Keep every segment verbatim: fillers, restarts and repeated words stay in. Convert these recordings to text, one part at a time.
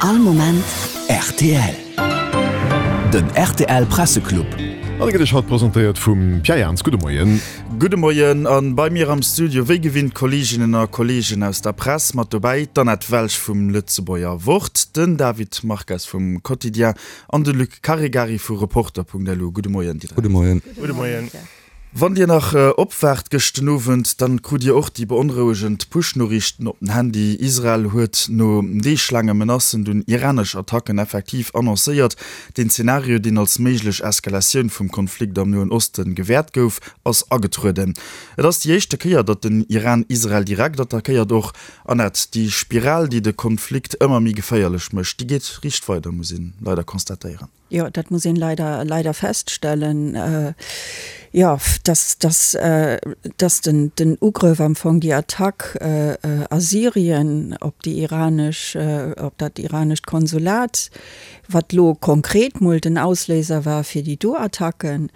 All Moment rtl. Den rtl Presseclub. An e gëtt Iech haut presentéiert vum Pierre Jans. Gudde Moien. Gudde Moien an bei mir am Studio wéi gewinnt Kolleeginnen a Kolleegen aus der Press. Mat dobäi d'Annette Welsch vum Lëtzebuerger Wort, den David Marques vum Quotidien an de Luc Caregari vu Reporter.lu. Gudde Moien déi dräi. Gudde Moien. Gudde Moien. Wann Dir nach opwaacht gëscht den Owend, dann krut Dir och déi beonrouegend Push-Noriichten op den Handy. Israel huet no deeglaange Menacen dunn iranesch Attacken effektiv annoncéiert. Den Zenario, deen als méiglech Eskalatioun vum Konflikt am Noen Osten gewäert gouf, ass agetrueden. Et ass déi éischte Kéier, datt den Iran Israel direkt attackéiert. Och, Annette, déi Spiral, déi de Konflikt ëmmer méi geféierlech mécht, déi geet riicht weider, muss een leider constatéieren. Jo, dat muss een leider, leider feststellen, jo, dass, dass, dass den, den Ugrëff am Fong, déi Attack a Syrien op déi iranesch, op dat iranescht Konsulat, wat lo konkret mol den Ausléiser war fir déi do Attacken,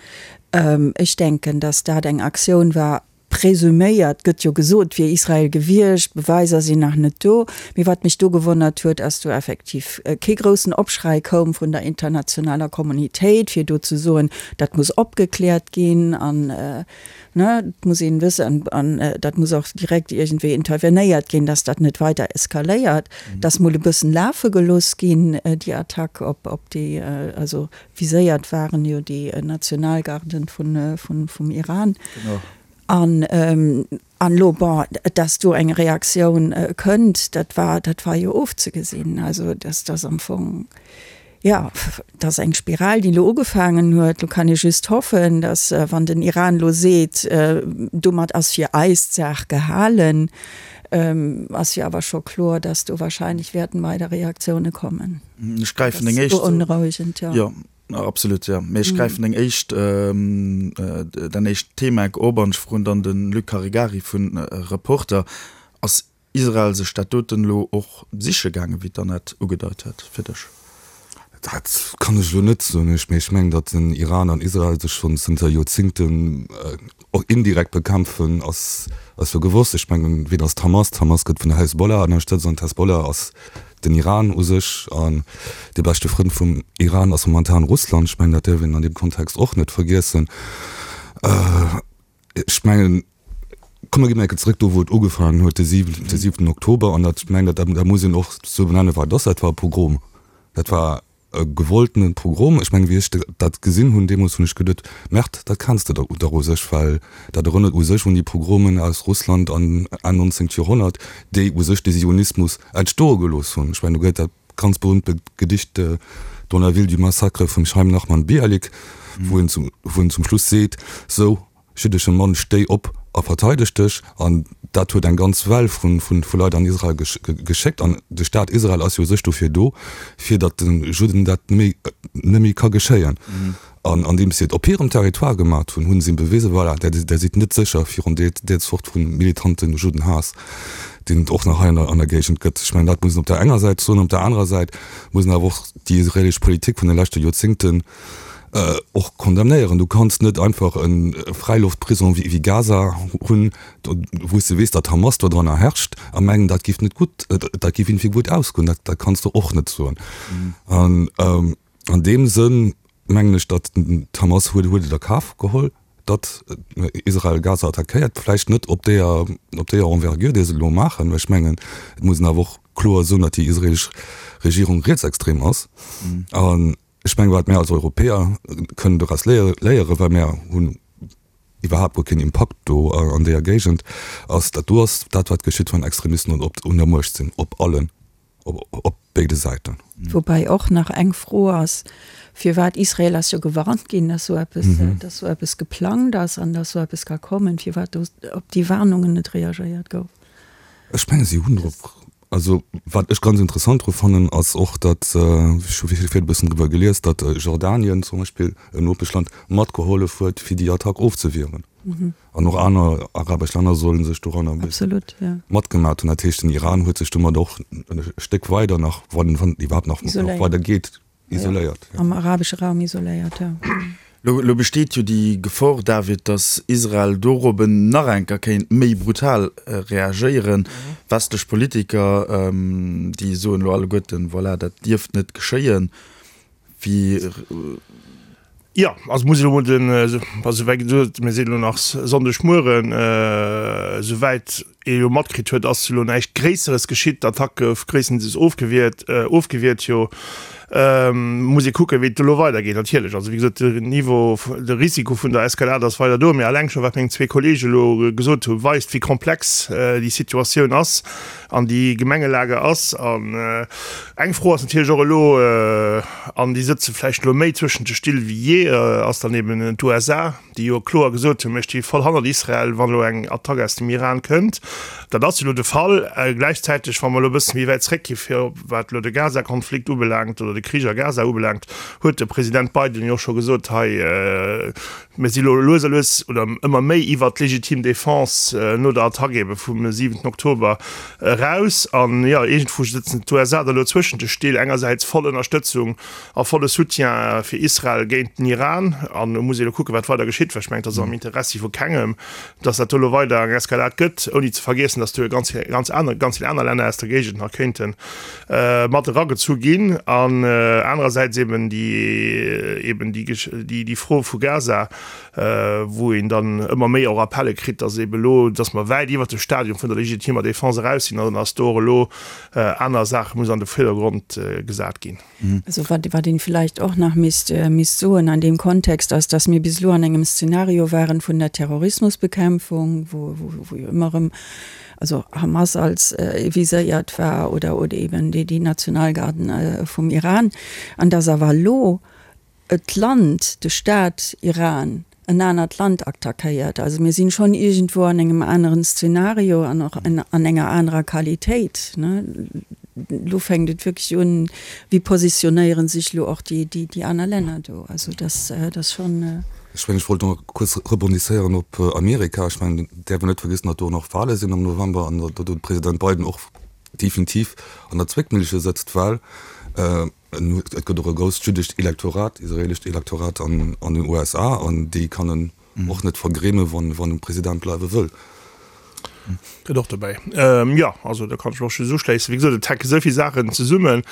ech denken, dass dat eng Aktioun war, Presuméiert gëtt jo gesot, wier Israel gewiescht, Beweiser sinn nach net do. Mee wat mech do gewonnert huet, ass do effektiv kee groussen Opschrei koum vun der internationaler Kommunitéit, fir do ze soen, dat muss opgekläert ginn an ne, et muss een wëssen an dat muss och direkt iergendwéi intervenéiert ginn, dass dat net weider eskaléiert. Dass mol e bëssen lafe gelooss ginn, déi Attack op op déi, also viséiert waren jo déi Nationalgarden vun vum Iran. An an elo, bon, dass do eng Reaktioun kënnt, dat war, dat war jo ofzegesinn. Also dass dass am Fong, jo, dat ass eng Spiral, déi elo ugefaangen huet. Elo kann ee just hoffen, dass, wann den Iran elo seet, domat ass fir eis d'Saach gehalen, ass jo awer scho kloer, dass do wahrscheinlech wäerten weider Reaktioune kommen. Ech gräifen deng éischt. Beonrouegend, jo. Absolut, jo. Mee ech gräifen deng éischt, däin éischt Thema op an ech froen dann de Luc Caregari vu Reporter, Ass Israel sech dat doten elo och siche gaangen, wéi d'Annette ugedeit huet, fir dech? Dat kann ech elo net soen. Mee ech mengen, datt den Iran an Israel sech schonn zënter Joerzingten och indirekt bekämpfen, ass jo gewosst. Ech mengen, ween ass d'Hamas? D'Hamas gëtt vun der Hezbollah ënnerstëtzt an d'Hezbollah ass den Iran u sech, an dee beschte Frënd vum Iran ass momentan Russland. Ech mengen, dat däerf een an deem Kontext och net vergiessen. Ech mengen, komm mer ginn eng Kéier zrëck do, wou et ugefaangen huet, de siwenten Oktober. An dat, ech mengen, dat, dat muss een och esou benennen, wat et ass, Dat war e Pogrom. Dat war e gewolltene Pogrom. Ech mengen, wéi ech dat gesinn hunn deemools, hunn ech geduet, Merde, dat kenns de dach u sech, well dat erënnert u sech un déi Pogromen aus Russland an Enn nonzéngt Joerhonnert, déi u sech de Zionismus entstoe gelooss hunn. Ech mengen, do gëtt dat ganz berühmte Gedicht Dans la ville du massacre vum Chaim Nachman Bialik, wou en zum, wou en zum Schluss seet, Sou, Jiddesche Mann, stéi op a verteideg dech! An dat huet eng ganz Well vu Leit an Israel geschéckt. An de Staat Israel ass jo u sech dofir do, fir datt de Judden dat net méi ka geschéien. An andeems si et op hirem Territoire gemat hunn, hu si bewisen, voilà, där sidd net sécher virun där Zort vu militante Juddenhaass, deen et och nach hei an der Géigend gëtt. Ech mengen, dat muss een op där enger Säit soen. Op där anerer Säit muss een awer och déi israelesch Politik vun de leschte Joerzéngten och condamnéieren. Du kanns net einfach e Fräiloftprison wéi Gaza hunn, wou s de weess, datt Hamas do dranner herrscht, a mengen, dat géif net gutt, dat géif iergendwéi gutt ausgoen. Dat, dat kanns de och net soen. An an deem Sënn mengen ech, datt d'Hamas huet huet et a Kaf geholl, datt Israel Gaza attackéiert. Vläicht net op deeër, op deeër Envergure, déi se elo maachen, mä ech mengen, et muss een awer och kloer soen, datt déi israelesch Regierung rietsextrem ass. An Ech mengen, wat mär als Europäer kënnen doraus léieren, well mär hunn iwwerhaapt guer keen Impakt do an deeër Géigend, ass, dat do ass dat, wat geschitt, wann Extremisten op un der Muecht sinn, op allen, op béide Säiten. Woubäi och nach eng Fro ass, firwat, Israel ass jo gewarnt ginn, dass esou eppes, dass esou eppes geplangt ass an dass esou eppes ka kommen, firwat do op déi Warnungen net reagéiert gouf. Ech menge si hunn drop, also wat ech ganz interessant dru fannen, ass och, datt, ech hu virdu e bëssen driwwer gelies, datt Jordanien zum Beispill, en Nopeschland, matgehollef huet fir déi Attack ofzewieren. An och aner arabesch Länner solle sech doranner e bësse matgemat hunn. Dat heescht, den Iran huet sech domat och e Stéck weider nach, wann et iwwerhaapt nach weider geet, isoléiert. Am arabesche Raum isoléiert, jo. Lo besteet jo déi Gefor, David, datt Israel dorobben nach eng Kéier kéint méi brutal reagéieren. Westlech Politiker, déi soen elo alleguerten, voilà, dat dierft net geschéien. Wéi. Jo, also muss ech elo mol den, also wéi gesot, mir sinn elo nach Sonndegmueren, esouwäit ee jo matkritt huet, ass elo näischt Gréisseres geschitt. D'Attack gouf gréisstendeels ofgewiert, ofgewiert jo. Muss ee kucken, wéi et elo weidergeet natierlech. Also wéi gesot, den Niveau, de Risiko vun der Eskalade ass weider do. Mee alleng scho wat meng zwee Kollege elo gesot hunn, weist, wéi komplex déi Situatioun ass an déi Gemengelage ass. An eng Fro ass natierlech och elo, an déi sëtze vläicht elo méi zwëschent de Still wéi jee, ass dann eben d'USA, déi jo kloer gesot hunn, mir sti voll hannert Israel, wann elo eng Attack aus dem Iran kënnt. Dat ass jo elo de Fall. Gläichzäiteg, wa mer elo e bësse méi wäit zréckgi fir wat elo de Gaza-Konflikt ubelaangt oder de Krich a Gaza ubelaangt, huet de President Biden jo och scho gesot, hei, mir si elo lues a lues oder ëmmer méi iwwert d'legitim Defense no der Attack ebe vum siwenten Oktober eraus. An jo, iergendwou sëtzen d'USA da elo zwëschent de Still, engersäits voll Ënnerstëtzung a volle Soutien fir Israel géint den Iran. An elo muss ee elo kucken, wat weider geschitt, well ech mengen, et ass am Interessi vu kengem, datt dat do elo weider eng Eskalad gëtt, ouni ze vergiessen, datt do jo ganz, ganz aner, ganz vill aner Länner aus der Géigend nach kéinte mat eragezu ginn. An anerersäits eben déi, eben déi, déi Fro vu Gaza, wou een dann ëmmer méi och Appelle kritt, datt eben elo, datt mer wäit iwwert de Stadium vun der legitimer Defense eraus sinn an datt do och elo aner Saache muss an de Virdergrond gesat ginn. Also wat, wat een vielleicht och nach misst, misst soen an deem Kontext ass, datt mir bis elo an engem Szenario waren vun der Terrorismusbekämpfung, wou, wou, wou jo ëmmer erëm also Hamas als viséiert war oder, oder eben déi, déi Nationalgarden vum Iran, an datt awer elo d'Land, de Staat Iran, en anert Land attackéiert. Also mir sinn schonn iergendwou an engem aneren Szenario an och an enger anerer Qualitéit. Elo fänkt et wierklech un, wéi positionéiere sech elo och déi aner Länner do? Also dat ass schonn. Ech mengen, ech wollt nach kuerz rebondisséieren op Amerika. Ech mengen, et däerf een net vergiessen, datt do och nach Wahle sinn am November an datt do de President Biden och definitiv an der Zwéckmillche sëtzt, well et gëtt och e grousst jüddescht Elektorat, israelescht Elektorat an den USA an déi kann en och net vergräme wann en President bleiwe wëll. Gëtt och dobäi. Jo, also do kann ech mech och just uschléissen. Wéi gesot, et hänke esou vill Saachen zesummen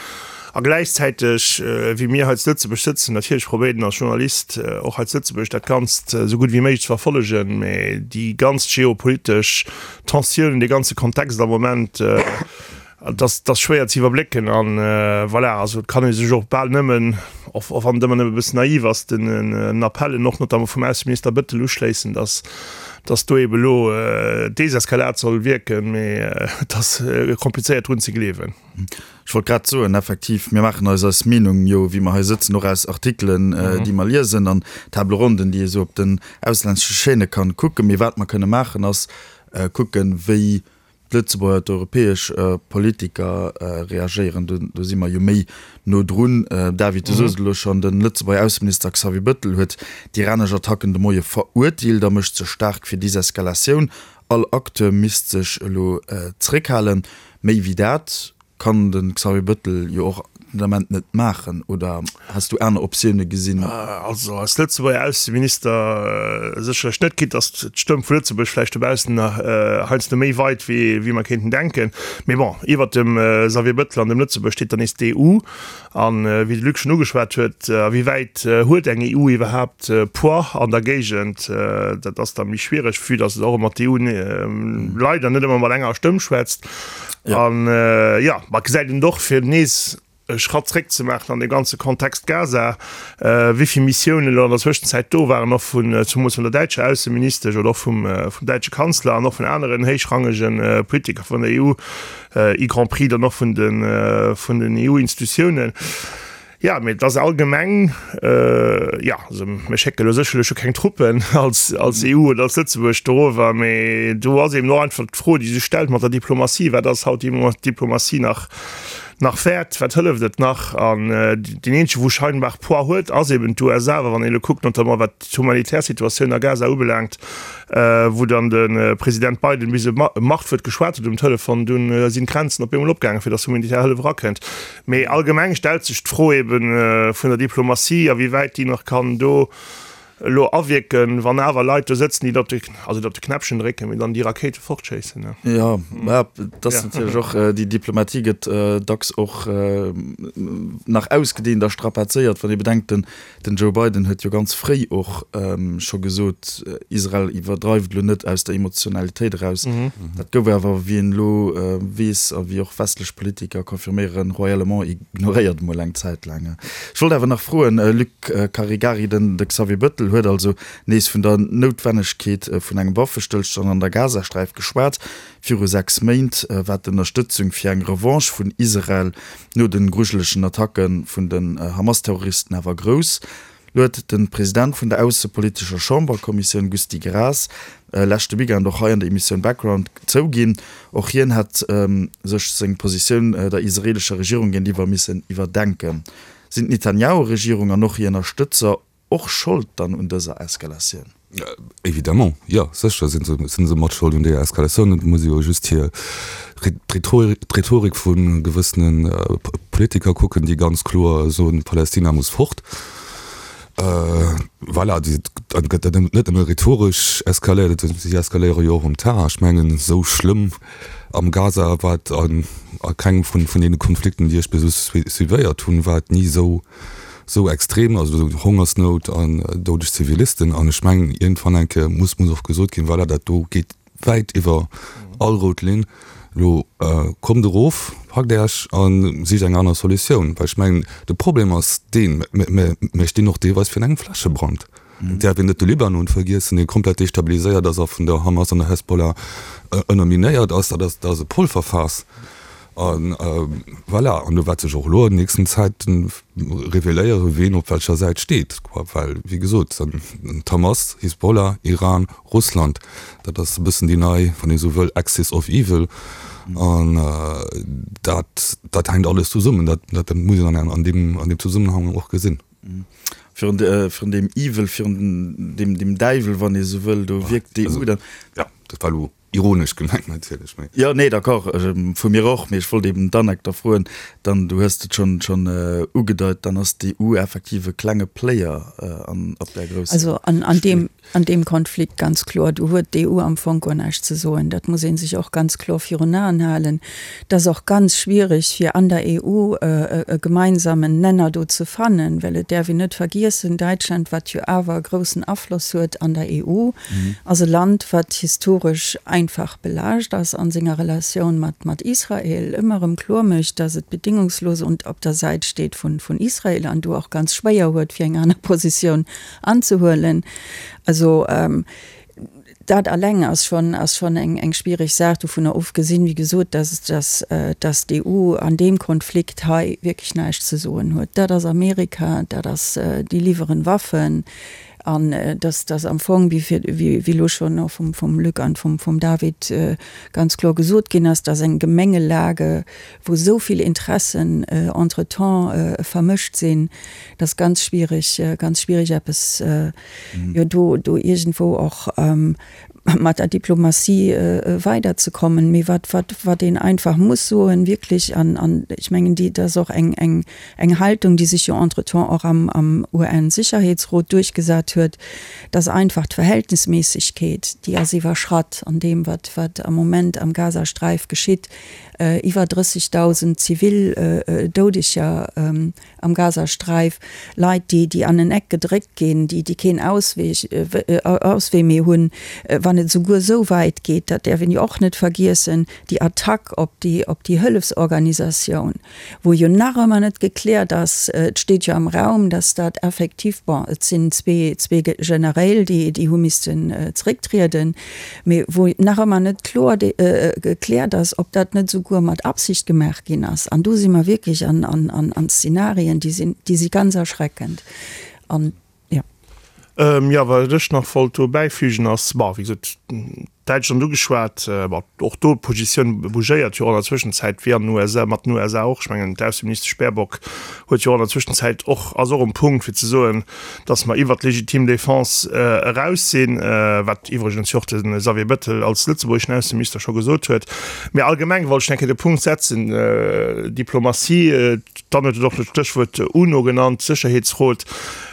a gläichzäiteg, wéi mir hei zu Lëtzebuerg sëtzen, natierlech probéiert een als Journalist och hei zu Lëtzebuerg dat Ganzt esou gutt wéi méiglech ze verfollegen, mä déi ganz geopolitesch Tensiounen, dee ganze Kontext am Moment, Et ass, et ass schwéier ze iwwerblécken an voilà, also et kann ee sech och bal nëmmen, och och wann et ëmmer nëmme e bëssen naiv ass, den Appellen och notamment vum Ausseminister Bettel uschléissen, dass, dass do eebe elo d'Deseskalad soll wierken, mee et ass komplizéiert drun ze gleewen. Ech wollt grad soen, effektiv, mir maachen eis eis Meenung jo, wéi mer hei sëtzen, och aus Artikelen, déi mer liesen an Table ronden, déi ee sou op den auslännesche Chaîne kann kucken. Mee wat mer kënne maachen, ass kucken, wéi d'Lëtzebuerger, d'europäesch Politiker reagéieren. Do, do si mer jo méi no drun. David, du soos et elo schonn, de Lëtzebuerger Ausseminister Xavier Bettel huet d'iranesch Attacken de Moie verurteelt a mécht sech staark fir Deseskalatioun. All Acteur misst sech elo zréckhalen. Méi wéi dat kann de Xavier Bettel jo och den Ament net maachen. Oder has du aner Optioune gesinn? Also als Lëtzebuerger Ausseminister sécherlech net, quitte datt d'Stëmm vu Lëtzebuerg vläicht dobaussen heiansdo méi weit wéi wéi mer kéinten denken. Mee bon, iwwert dem Xavier Bettel an dem Lëtzebuerg steet dann nees d'EU. An wéi de Luc schonn ugeschwat huet, a wéi wäit huet eng EU iwwerhaapt Poids an der Géigend? Dat ass da méi schwiereg, vue datt et och ëmmer d'EU leider net ëmmer mat enger Stëmm schwätzt. An jo, ma gesäit een och, fir nees e Schratt zréck ze maachen an deem ganze Kontext Gaza, wéi vill Missiounen elo an der Zwëschenzäit do waren, och vun, zumools vun der däitscher Ausseministesch oder och vum, vum däitsche Kanzler an och vun aneren héichrangege Politiker vun der EU, y compris dann och vun de, vun den EU-Institutiounen. Jo, mee et ass allgemeng, jo, also mir schécke lo sécherlech jo keng Truppen als, als EU oder als Lëtzebuerg dorower, mee do ass eben och einfach d'Fro, déi sech stellt mat der Diplomatie, Wat ass haut déi Diplomatie nach, nach wäert? Wat hëlleft et nach? An deen eenzege wou scheinbar Poids huet, ass eben d'USA. Well wann een elo kuckt, notamment wat d'humanitär Situatioun a Gaza ubelaangt, wou dann de President Biden bis e Machtwuert geschwat huet um Telefon, dunn sinn d'Grenzen op eemol opgaangen, fir datt humanitär Hëllef erakënnt. Mee allgemeng stellt sech d'Fro ebe vun der Diplomatie, a wéi wäit déi nach kann do elo awierken, wann awer Leit do sëtzen, déi op de, also op de Knäppchen drécken, mee dann déi Rakéite fortschéissen. Jo, mä et ass natierlech och, déi Diplomatie gëtt dacks och nach ausgedehnt a strapazéiert, wann ee bedenkt, den den Joe Biden huet jo ganz fréi och scho gesot, Israel iwwerdreift elo net aus der Emotionalitéit eraus. Dat gouf awer, wéi een elo weess a wéi och westlech Politiker confirméieren, royalement ignoréiert emol eng Zäit laang. Ech wollt awer nach froen, Luc Caregari, den de Xavier Bettel huet also nees vun der Noutwennegkeet vun engem Waffestëllstand an der Gazasträif geschwat. Viru sechs Méint war d'Ënnerstëtzung fir eng Revanche vun Israel no de grujelegen Attacke vun den Hamas-Terroristen awer grouss. Lo huet de President vun der aussepolitescher Chamberkommissioun Gusty Graas leschte Weekend och hei an der Emissioun Background zouginn, och hien hätt sech seng Positioun der israeelescher Regierung géintiwwer missen iwwerdenken. Sinn d'Netanjahu-Regierung an och hir Ënnerstëtzer och Schold dann un dëser Eskalatioun? Évidemment, jo, sécher si se mat Schold un deeër Eskalatioun. Et muss ee jo just hir d'Rhetorik vu gewëssene Politiker kucken, déi ganz kloer soen, Palästina muss fort. Voilà, dat gëtt net nëmme rhetoresch eskaléiert, si eskaléiere jo och um Terrain. Ech mengen, esou schlëmm am Gaza war et a kengem vun deene Konflikten, déi ech bis elo suivéiert hunn, war et ni esou esou extrem, also Hongersnout an doudeg Zivilisten. An ech mengen, iergendwann eng Kéier muss muss och gesot ginn, voilà, dat do geet wäit iwwer all rout Linn. Elo kommt erof, packt Äech a sicht eng aner Solutioun. Well ech mengen, de Problem ass deen, mir stinn och deelweis virun engem Flächebrand. Et däerf een net de Libanon vergiessen, dee komplett destabiliséiert ass a vun der Hamas an der Hezbollah ënnerminéiert ass. Dat ass, dat ass e Polverfaass. A voilà, an do wäert sech och elo an den nächsten Zäite reveléieren, ween op welcher Säit steet, quoi. Well, wéi gesot, d'Hamas, Hisbollah, Iran, Russland, dat ass e bëssen déi nei, wann ee sou wëll, Axis of Evil. An dat, dat hänkt alles zesummen. Dat, dat muss een an deem, an deem Zesummenhang och gesinn. Virun, virun deem Evil, virun deem, deem Däiwel, wann ee sou wëll, do wierkt d'EU dann. Jo, dat war elo Ironesch gemengt natierlech, mee. Jo, nee, d'accord, vu mir och, mee ech wollt eben d'Anneck da froen, dann, du hues et schonn, schonn ugedeit, dann ass d'EU effektiv e klenge Player an, op där grousser Also an, an deem, an deem Konflikt ganz kloer, do huet d'EU am Fong guer näischt ze soen. Dat muss ee sech och ganz kloer virun Aen halen. Et ass och ganz schwierig, fir an der EU e gemeinsamen Nenner do ze fannen, well et däerf een net vergiessen, Däitschland, wat jo awer e groussen Afloss huet an der EU, ass e Land, wat historesch einfach belaascht ass a senger Relatioun mat mat Israel, ëmmer erëm kloer mécht, datt et bedingungslos und op der Säit steet vun vun Israel an do och ganz schwéier huet, fir eng aner Positioun anzehuelen. Also dat alleng ass schonn ass schonn eng eng schwierig Saach, dovunner ofgesinn, wéi gesot, datt datt datt d'EU an deem Konflikt hei wierklech näischt ze soen huet. Dat ass Amerika, dat ass, déi liwweren Waffen, An dass dass am Fong, wéi fir, wéi elo schonn och vum, vum Luc an vum, vum David ganz kloer gesot ginn ass, dass eng Gemengelage, wou esou vill Interessen entretemps vermëscht sinn, dass ganz schwierig, ganz schwierig eppes, jo, do, do iergendwou och mat der Diplomatie weiderzekommen. Mee wat, wat, wat een einfach muss soen, wierklech, an, an ech mengen, déi, dat ass och eng, eng, eng Haltung, déi sech jo entretemps och am, am UN-Sicherheetsrot duerchgesat huet, dass einfach d'Verhältnisméissegkeet, déi ass iwwerschratt an deem, wat, wat am Moment am Gazasträif geschitt, iwwer drëssigdausend zivil Doudeger am Gazasträif, Leit, déi, déi an en Eck gedréckt ginn, déi, déi keen Ausweg, Auswee méi hunn, wann et esouguer esou wäit geet, dat däerf een jo och net vergiessen, déi Attack op déi, op déi Hëllefsorganisatioun, wou jo nach ëmmer net gekläert ass, et steet jo am Raum, dass dat effektiv, bon, et sinn zwee, zwee Generéil, déi, déi hu missten zrécktrieden, mee wou nach ëmmer net kloer gekläert ass, ob dat net esouguer mat Absicht gemaach ginn ass. An do si mer wierklech an, an, an, an Szenarien, déi sinn, déi si ganz erschreckend. An, jo. Jo, wat ech nach wollt do bäifügen ass, bon, wéi gesot, Däitschland ugeschwat, bon, och do d'Positioun bougéiert jo an der Zwëschenzäit, wéi an den U S A, mat den U S A och. Ech mengen, d'Ausseministesch Baerbock huet jo an der Zwëschenzäit och, ass och um Punkt fir ze soen, datt mer iwwert d'legitim Défense eraus sinn, wat iwwregens jo och de Xavier Bettel als lëtzebuergeschen Ausseminister scho gesot huet. Mä allgemeng wollt ech eng Kéier de Punkt setzen, Diplomatie, dann huet et och d'Stéchwuert UNO genannt, Sécherheetsrot.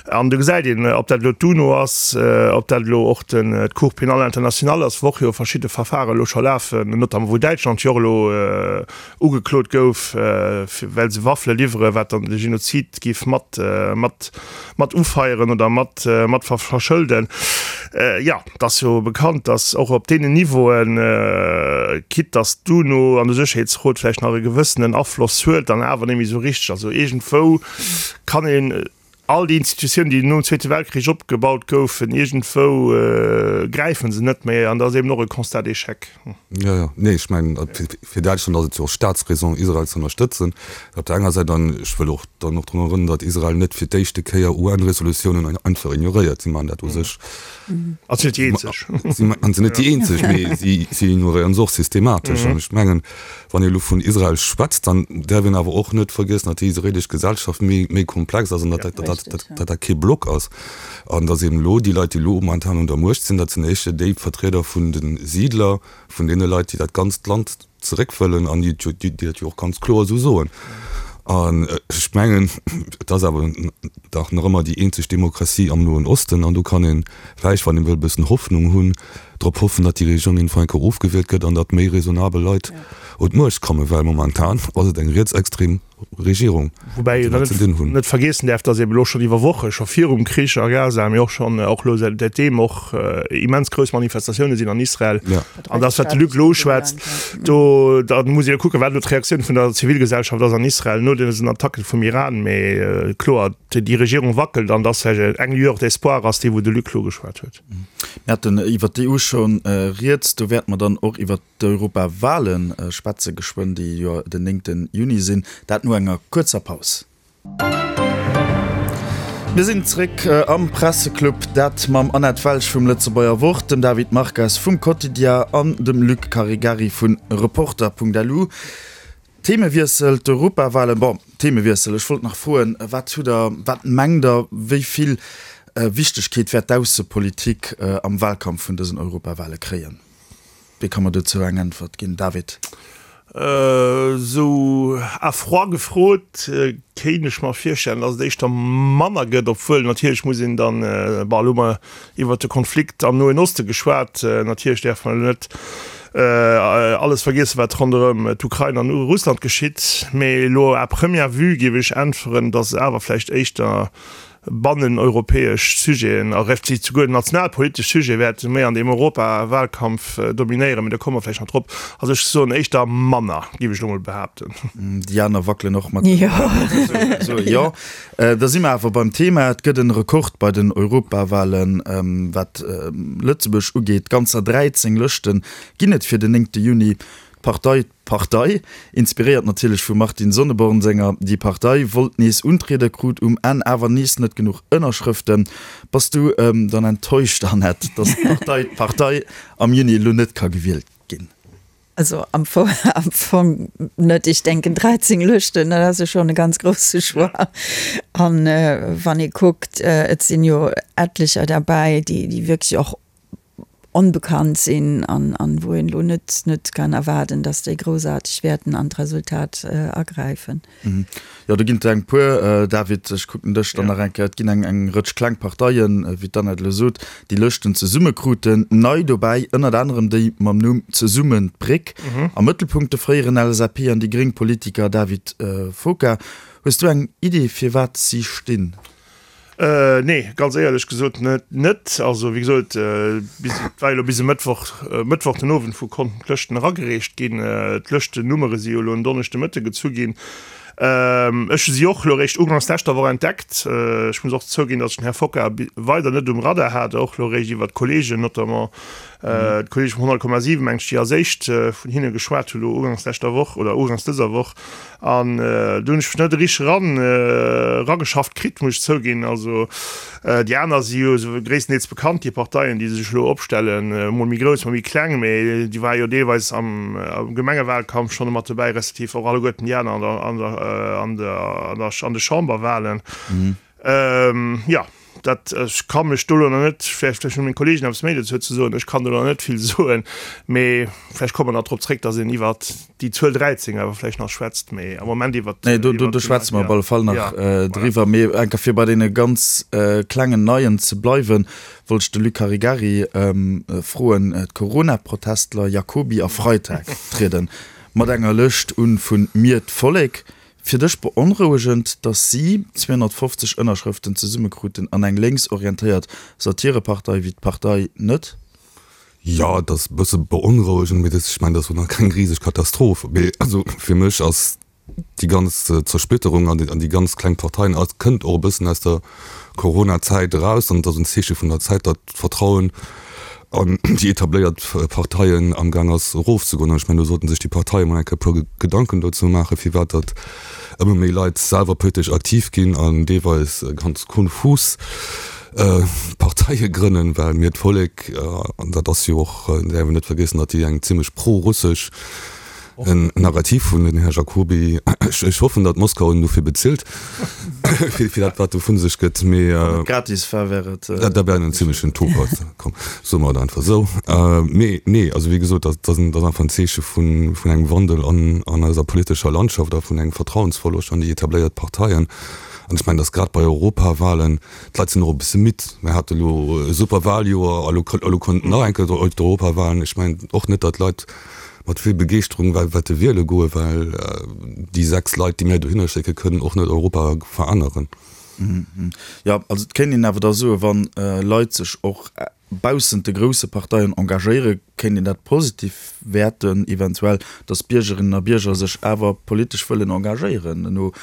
An do gesäit een, ob dat elo d'UNO ass, ob dat elo och d'Cour pénale internationale ass, wou och jo verschidde Verfaren elo scho lafen, notamment wou Däitschland jo och elo ugeklot gouf, well se Waffele liwweren, wat dann de Genozid géif mat, mat, mat ufeieren oder mat, mat verschëlden. Jo, et ass jo bekannt, datt och op deenen Niveauen, quitte datt d'UNO an de Sécherheetsrot vläicht nach e gewëssenen Afloss huet, dann awer net méi esou richteg. Also iergendwou kann een all déi Institutiounen, déi nom Zweete Weltkrich opgebaut goufen, iergendwou gräife se net méi an dat ass eben och e Constat d'échec. Jo, jo. Nee, ech mengen, fir Däitschland ass et jo och Staatsräson, Israel ze ënnerstëtzen op der enger Säit. An ech wëll och dann och drun erënneren, datt Israel net fir d'éischte Kéier U N-Resolutiounen einfach ignoréiert. Si maachen dat u sech. A sinn net déi eenzeg. Si sinn net déi eenzeg, mee si si ignoréieren se och systematesch. An ech mengen, wann ee elo vun Israel schwätzt, dann däerf een awer och net vergiessen, datt déi israelesch Gesellschaft méi méi komplex ass an datt dat datt dat dat kee Block ass. An datt eben elo déi Leit, déi elo momentan un der Muecht sinn, dat sinn éischter déi Vertrieder vun de Siidler, vun deene Leit, déi dat ganzt Land zeréck wëllen an déi déi dat jo och ganz kloer esou soen. An ech mengen, et ass awer dach nach ëmmer déi eenzeg Demokratie am Noen Osten an do kann ee vläicht, wann ee wëll e bëssen Hoffnung hunn, drop hoffen, datt déi Regierung iergendwann eng Kéier ofgewielt gëtt an datt méi raisonnabel Leit un d'Muecht kommen, well momentan ass et eng rietsextrem Regierung, Woubäi een dann net vergiessen däerf, datt eben elo schonn iwwer Woche, scho virum Krich a Gaza, mee och schonn och elo säitdeem och immens grouss Manifestatioune sinn an Israel. An datt, wat de Luc elo uschwätzt, do da muss ee jo kucken, wat elo d'Reaktioun vun der Zivilgesellschaft ass an Israel no dësen Attacke vum Iran. Mee kloer, déi Regierung wackelt an datt vläicht eng Lueur d'espoir ass déi, wou de Luc elo geschwat huet. Mir haten iwwer d'E U schonn rieds. Do wäerte mer dann och iwwer d'Europawale schwätze geschwënn, déi jo den néngte Juni sinn. Dat no enger kuerzer Paus. Mir sinn zréck am Presseclub, dat mam Annette Welsch vum Lëtzebuerger Wort, dem David Marques vum Quotidien an dem Luc Caregari vu Reporter Punkt L U. Themewiessel, d'Europawalen. Bon, Themewiessel, ech wollt nach froen, wat hutt Der, wat mengt Der, wéi vill Wichtegkeet wäert d'Aussepolitik am Wahlkampf vun dësen Europawale kréien? Wee ka mer dozou eng Äntwert ginn? David? Esou à froid gefrot, kéint ech mer virstellen, datt et éischter manner gëtt, obwuel natierlech muss een dann, bon, elo hu mer iwwert de Konflikt am Noen Oste geschwat, natierlech däerf mer elo net alles vergiessen, wat ronderëm d'Ukrain an Russland geschitt, mee elo à première vue géif ech äntweren, datt et awer vläicht éischter banneneuropäesch Sujeten a respektiv souguer nationalpolitesch Sujete wäerte méi an deem Europawahlkampf dominéieren, mee do komme mer vläicht nach drop. Also ech soen éischter manner, géif ech elo mol behaapten. Déi aner wackelen och mat dem Kapp. Esou, jo. Da si mer awer beim Thema. Et gëtt en Rekord bei den Europawahlen, wat Lëtzebuerg ugeet. Ganzer dräizéng Lëschte ginn et fir den néngte Juni. D'Partei D'Partei, inspiréiert natierlech vum Martin Sonneborn senger Die Partei, wollt nees untrieden, krut um Enn awer nees net genuch Ënnerschrëften. Bass du dann enttäuscht, Annette, datt d'Partei D'Partei am Juni elo net ka gewielt ginn? Also am Fong, am Fong net. Ech denken dräizéng Lëschten, dat ass jo schonn e ganz grousse Choix. An wann ee kuckt, et sinn jo etlecher derbäi, déi, déi wierklech och onbekannt sinn an, an wou een elo net, net kann erwaarden, dass déi groussaarteg wäerten an d'Resultat agräifen. Jo, do ginn et eng puer, David, ech kucken dech dann nach eng Kéier. Et ginn eng, eng Rëtsch kleng Parteien, wéi d'Annette elo sot, déi Lëschten zesumme kruten. Nei dobäi ënnert anerem déi mam Numm Zesummen d'Bréck. Am Mëttelpunkt de fréieren L S A P an déi gréng Politiker David Foka. Hues du eng Idee, firwat si stinn? Nee, ganz éierlech gesot net. Net. Also wéi gesot, bis, et war jo elo bis e Mëttwoch, Mëttwoch den Owend, wou konnten d'Lëschten eragereecht ginn. D'Lëschtennummere si jo elo en Donneschde Mëtte gezu ginn. Ech hu si och elo eréischt ugangs leschter Woch entdeckt. Ech muss och zouginn, datt ech den Här Focker weider net um Radar hat, och elo eréischt iwwert d'Kollegen, notamment d'Kollege vum honnert Komma siwen, mengt ech, déi als éischt vun hinne geschwat hu lo ugangs leschter Woch oder ugangs dëser Woch. An do hunn ech mech net richteg eran erageschafft kritt, muss ech zouginn. Also déi aner si jo esou gréisstendeels bekannt, déi Parteien, déi sech elo opstellen, mol méi grouss, mol méi kleng, mee déi ware jo deelweis am Gemengewahlkampf schonn mat dobäi, respektiv och alleguerten déi aner an der, an der, an der, an der, an de Chamberwahlen. Jo, dat, ech ka mech do elo nach net, vläicht, vläicht hunn meng Kollegen eppes méi dozou ze soen, ech kann do nach net vill soen, mee vläicht komme mer nach drop zréck, datt een iwwert déi Zuel dräizéng awer vläicht nach schwätzt, mee am Moment iwwert. Nee, do, do schwätze mer op alle Fall nach driwwer. Mee enker fir bei deene ganz klengen Neien ze bleiwen, wollt ech de Luc Caregari froen, D'Corona-Protestler Jacoby a Freitag trieden mat enger Lëscht un vu Mir d'Vollek. Fir dech beonrouegend, datt si zweehonnertfofzeg Ënnerschrëften zesummekruten an eng lénksorientéiert Satirepartei wéi d'Partei net? Jo, et ass e bësse beonrouegend, mee ech mengen, dat ass och nach keng riseg Katastroph. Mee also fir mech ass déi ganz Zersplitterung an déi ganz kleng Parteien, et kënnt och e bëssen aus der Corona-Zäit eraus an et ass en Zeeche vun der Zäit, datt d'Vertrauen an déi etabléiert Parteien amgaang ass erofzegoen. An ech mengen, do sollten sech déi Parteie mol eng Kéier e puer Gedanken dozou maachen, firwat datt ëmmer méi Leit selwer politesch aktiv ginn an deelweis ganz konfus Parteie grënnen, well mir d'Vollek, an dat ass jo och, däerf een net vergiessen, datt déi eng zimlech pro-russesch Narrativ hunn, den Här Jacoby, ech hoffen, datt Moskau en dofir bezilt, fir dat wat do vu sech gëtt, mee. Wann et gratis war, wär et. Dat wär en zimlechen Topert, komm, soe mer et einfach esou. Mee nee, also wéi gesot, dat ass einfach en Zeeche vun engem Wandel an eiser politescher Landschaft a vun engem Vertrauensverloscht an déi etabléiert Parteien. An ech mengen, datt grad bei Europawahlen, d'Leit sinn och e bësse midd. Mir hate lo e super Wahljoer a lo elo kommt nach eng Kéier d'Europawahlen. Ech mengen och net, datt d'Leit mat vill Begeeschterung wäerte wiele goen, well déi sechs Leit, déi mir dohinner schécke kënnen och net Europa veränneren. Jo, also et kéint een awer da soen, wann Leit sech och baussent de grousse Parteien engagéieren, kéint een dat positiv wäerten, eventuell, datt Biergerinnen a Bierger sech awer politesch wëllen engagéieren no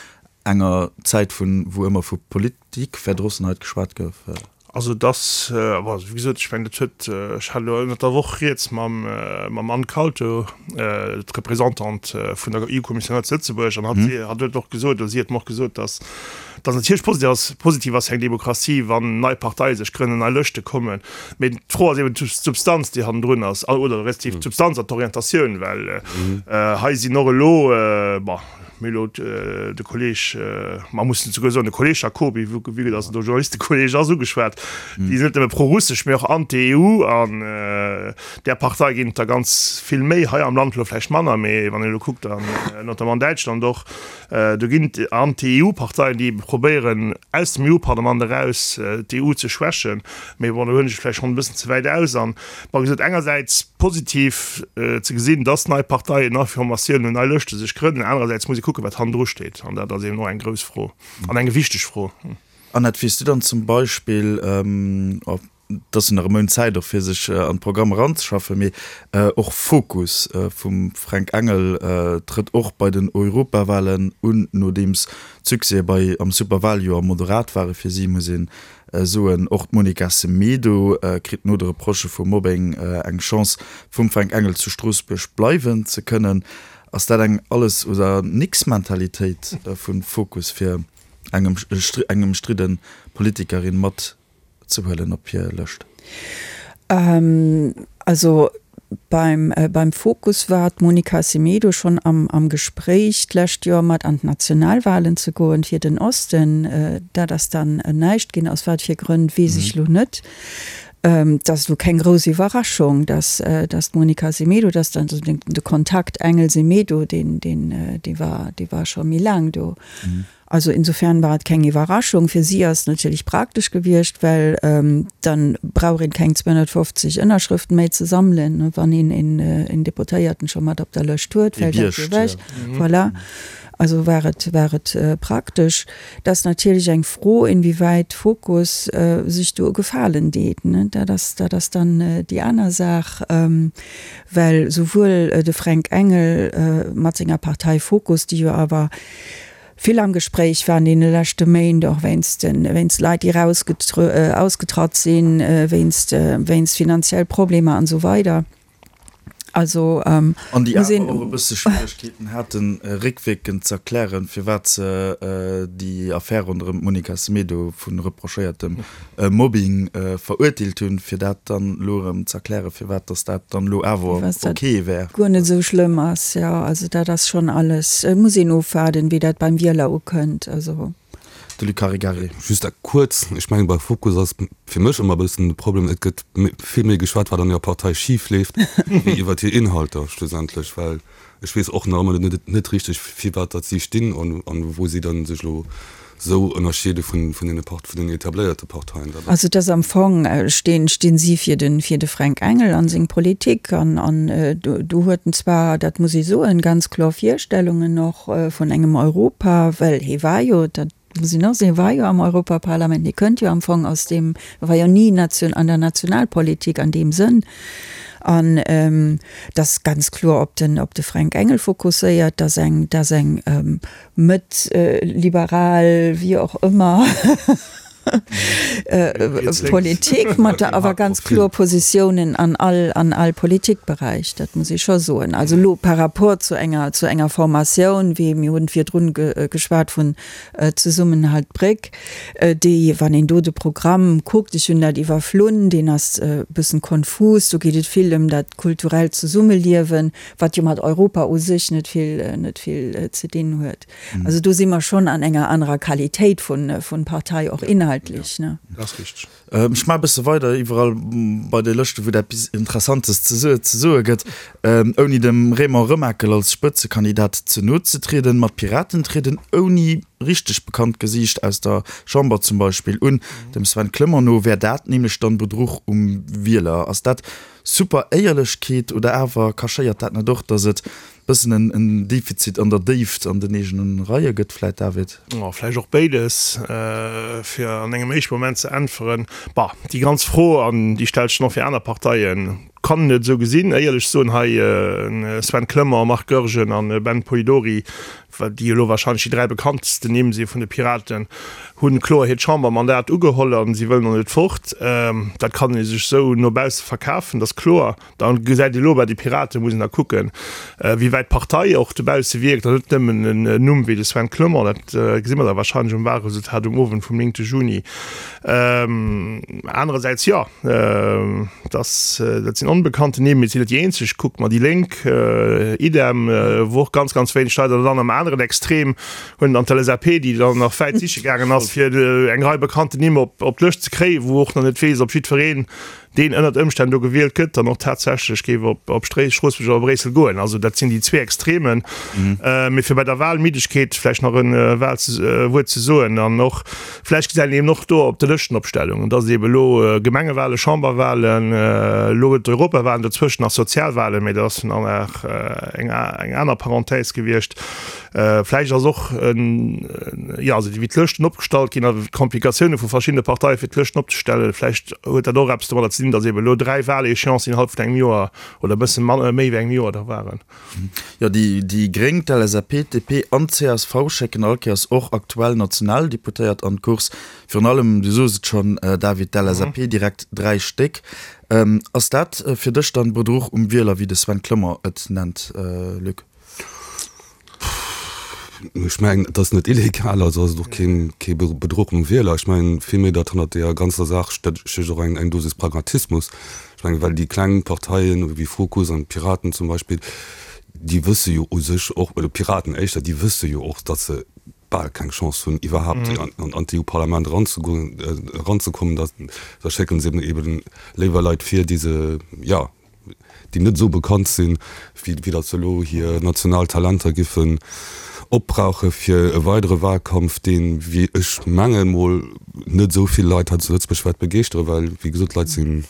enger Zäit vun, wou ëmmer vu Politikverdrossenheit geschwat gouf. Also et ass, bon, wéi gesot, ech mengen, dat huet, ech hat elo ënnert der Woch rieds mam, mam Anne Kalto, d'Representante vun der EU-Kommissioun hei zu Lëtzebuerg, an hatt, hatt huet och gesot, oder si huet mer och gesot, datt, datt natierlech positiv ass, positiv ass fir eng Demokratie, wann nei Parteie sech grënnen, nei Lëschte kommen. Mee d'Fro ass eben d'Substanz, déi hannendrun ass, oder respektiv d'Substanz an d'Orientatioun, well hei sinn och elo, bon, Mee elo de Kolleg, mer mussen souguer soen, de Kolleg Jacoby, vu que datt en do Journalistekolleg ass, ugeschwat, déi sinn net nëmme prorussesch, mee och anti-EU. An där Partei ginn et der ganz vill méi, hei am Land elo vläicht manner, mee wann een elo kuckt, an notamment an Däitschland och, do ginn et anti-EU-Parteien, déi ebe probéieren, aus dem EU-Parlament eraus d'EU ze schwächen. Mee bon, do huelen ech et vläicht schonn e bëssen ze wäit aus. An, bon, wéi gesot, engersäits positiv ze gesinn, dass nei Parteien, nei Formatiounen, nei Lëschte sech grënnen. Anerersäits muss ee kucken, wat hannendru steet. An dat ass eben och eng grouss Fro an eng wichteg Fro. Annette, wéi s du dann zum Beispill, et ass jo nach e Mount Zäit och fir sech an d'Programm eranzeschaffen, mee och Fokus vum Fränk Engel trëtt och bei den Europawahlen un, nodeems d'Succèse bei am Superwahljoer moderat ware fir si, muss een soen. Och d'Monica Semedo kritt no de Reprochë vu Mobbing eng Chance, vum Fränk Engel zu Stroossbuerg bleiwen ze kënnen. Ass dat eng Alles oder Nix-Mentalitéit vu Fokus, fir eng ëmstridde Politikerin mat ze huelen op hir Lëscht? Also beim, beim Fokus war d'Monica Semedo schonn am, am Gespréich d'lescht Joer mat an d'Nationalwahlen ze goen fir den Osten. Dat ass dann näischt ginn, aus wat fir Grënn weess ech lo net. Et ass elo keng grouss Iwwerraschung, dass, dass d'Monica Semedo, dass dann de Kontakt Engel-Semedo, deen, deen, dee war, dee war scho méi laang do. Also insofern war et keng Iwwerraschung. Fir si ass et natierlech praktesch gewiescht, well dann brauch een keng zweehonnertfofzeg Ënnerschrëften méi ze sammelen, wann een een Deputéierten scho mat op der Lëscht huet, fält dat jo ewech. Voilà. Also war et, war et praktesch. Et ass natierlech eng Fro, inwiewäit Fokus sech do e Gefalen deet. Dat ass, dat ass dann déi aner Saach, well souwuel de Fränk Engel mat senger Partei Fokus, déi jo awer, vill am Gespréich war an deene leschte Méint, och wéinst den, wéinst Leit, déi ausgetratt sinn, wéinst, wéinst finanziell Problemer an esou weider. Also, An déi awer och e bësse Schwieregkeeten haten, réckwierkend z'erklären, firwat se déi Affär ronderëm d'Monica Semedo vu reprochéiertem Mobbing verurteelt hunn, fir dat dann elo erëm z'erklären, firwat datt dat dann elo awer ok wär. Guer net esou schlëmm ass, jo. Also dat ass schonn alles, et muss een ofwaarden, wéi dat beim Wieler ukënnt. Also. De Luc Caregari. Just kuerz, ech mengen bei Fokus ass fir mech ëmmer e bëssen de Problem, et gëtt vill méi geschwat wat an hirer Partei schif leeft, wéi iwwert hir Inhalter schlussendlech, well ech weess och nach ëmmer net net richteg firwat datt si stinn an an wou si dann sech elo esou ënnerscheede vun vun deene Part vun den etabléierte Parteien. Dat ass. Also et ass am Fong, stinn stinn si fir de fir de Fränk Engel an seng Politik an an do do huet en zwar, dat muss ee soen, ganz kloer Virstellungen och vun engem Europa, well hie war jo, dat Muss een och soen, hie war jo am Europaparlament, hie kënnt jo am Fong aus deem, e war jo ni nation, an der Nationalpolitik an deem Sënn. An dat ganz kloer op den, op de Fränk Engel fokusséiert, dass eng, dass eng mëtt liberal, wéi och ëmmer, Politik mat awer ganz kloer Positiounen an all, an all Politikberäich, dat muss ee scho soen. Also elo par rapport zu enger, zu enger Formatioun, wéi mir hunn virdrun geschwat vun Zesummenhalt Bréck, déi, wann een do de Programm kuckt, ech hunn dat iwwerflunn, deen ass e bëssen konfus, do geet et vill ëm dat kulturellt Zesummeliewen, wat jo mat Europa u sech net vill, net vill ze dinn huet. Also do si mer schonn an enger anerer Qualitéit vun Partei, och inhaltlech. Dat ass richteg. Ech maache e bësse weider iwwerall bei de Lëschte wou et eppes Interessantes ze soe gëtt, ouni dem Raymond Remakel als Spëtzekandidat ze no ze trieden. Ma d'Piraten trieden ouni richteg bekannt Gesiicht aus der Chamber zum Beispill un. Dem Sven Clement no wär dat nämlech dann Bedruch um Wieler. Ass dat super Éierlechkeet oder awer cachéiert dat net och, datt et bëssen en en Defizit an der Déift an den eegenen Reie gëtt vläit, David? Oh, vläicht och béides, fir an engem éischte Moment ze äntweren. Bah, déi ganz Fro, an déi stellt sech och fir aner Parteien, kann een et esou gesinn. Éierlech soen hei Sven Clement, Marc Goergen an Ben Polidori, déi elo wahrscheinlech déi dräi bekanntsten Nimm si vun de Piraten, hu kloer hiert Chambermandat ugeholl a si wëllen och net fort. Dat kann ee sech esou no bausse verkafen, dat ass kloer. Da gesäit ee lo bei de Piraten, muss een da kucken, wéi wäit d'Partei och dobausse wierkt an net nëmmen en Numm wéi de Sven Clement. Dat gesi mer da wahrscheinlech um Wahlresultat um Owend vum néngte Juni. Anerersäits, jo, dass, dat sinn onbekannten Nimm, mee et sinn net déi eenzeg. Kuckt mer déi Lénk, idem, wou och ganz, ganz wéineg Leit, an dann am aneren Extrem hunn dann d'LSAP, déi dann nach wäit siche gaangen ass, fir eng Rei bekannten Nimm op d'Lëscht ze kréien, wou och nach net weess, ob jiddwereen deen ënnert Ëmstänn do gewielt gëtt, dann och tatsächlech géif op op Stroossbuerg oder Bréissel goen. Also dat sinn déi zwee Extremen. Mee fir bei der Wahlmiddegkeet vläicht nach e Wuert ze soen an och vläicht gesäit een eben och do op de Lëschtenopstellungen, dass et eben elo Gemengewahlen, Chamberwahlen, elo huet d'Europawahlen, dozwëschen nach Sozialwahlen, mee dat ass dann nach eng aner Parenthèse gewiescht. Vläicht ass och, jo, also wéi d'Lëschten opgestallt ginn a d'Komplikatioune vu verschiddene Parteie fir d'Lëschten opzestellen, vläicht huet dat och eppes domadder ze dinn, datt eeben elo dräi Wahléchéancen innerhalb vun engem Joer oder e bësse manner, méi wéi engem Joer da waren. Jo, déi déi Gréng, d'LSAP, d'DP an d'CSV schécken all Kéiers och aktuell Nationaldeputéiert an d'Course. Virun allem, du sos et schonn, David, d'LSAP direkt dräi Stéck. Ass dat fir dech dann Bedruch um Wieler, wéi de Sven Clement et nennt, Luc? Ech mengen, et ass net illegal, also ass et och keen, kee Bedruch um Wieler. Ech mengen villméi, datt hannert deeër ganzer Saach stécht och eng, eng Dosis Pragmatismus. Ech mengen, well déi kleng Parteien wéi Fokus an d'Piraten zum Beispill, déi wësse jo u sech och, oder d'Piraten éischter, déi wësse jo och, datt se bal keng Chance hunn iwwerhaapt an, an d'EU-Parlament eranzegoen, eranzekommen. Da, da schécke se eben eben léiwer Leit vir, déi se, jo, déi net esou bekannt sinn, wéi datt se elo hir national Talenter giffen opbrauche fir e weidere Wahlkampf, deen, wéi ech mengen, mol net esou vill Leit hei zu Lëtzebuerg wäert begeeschtere, well, wéi gesot, d'Leit sinn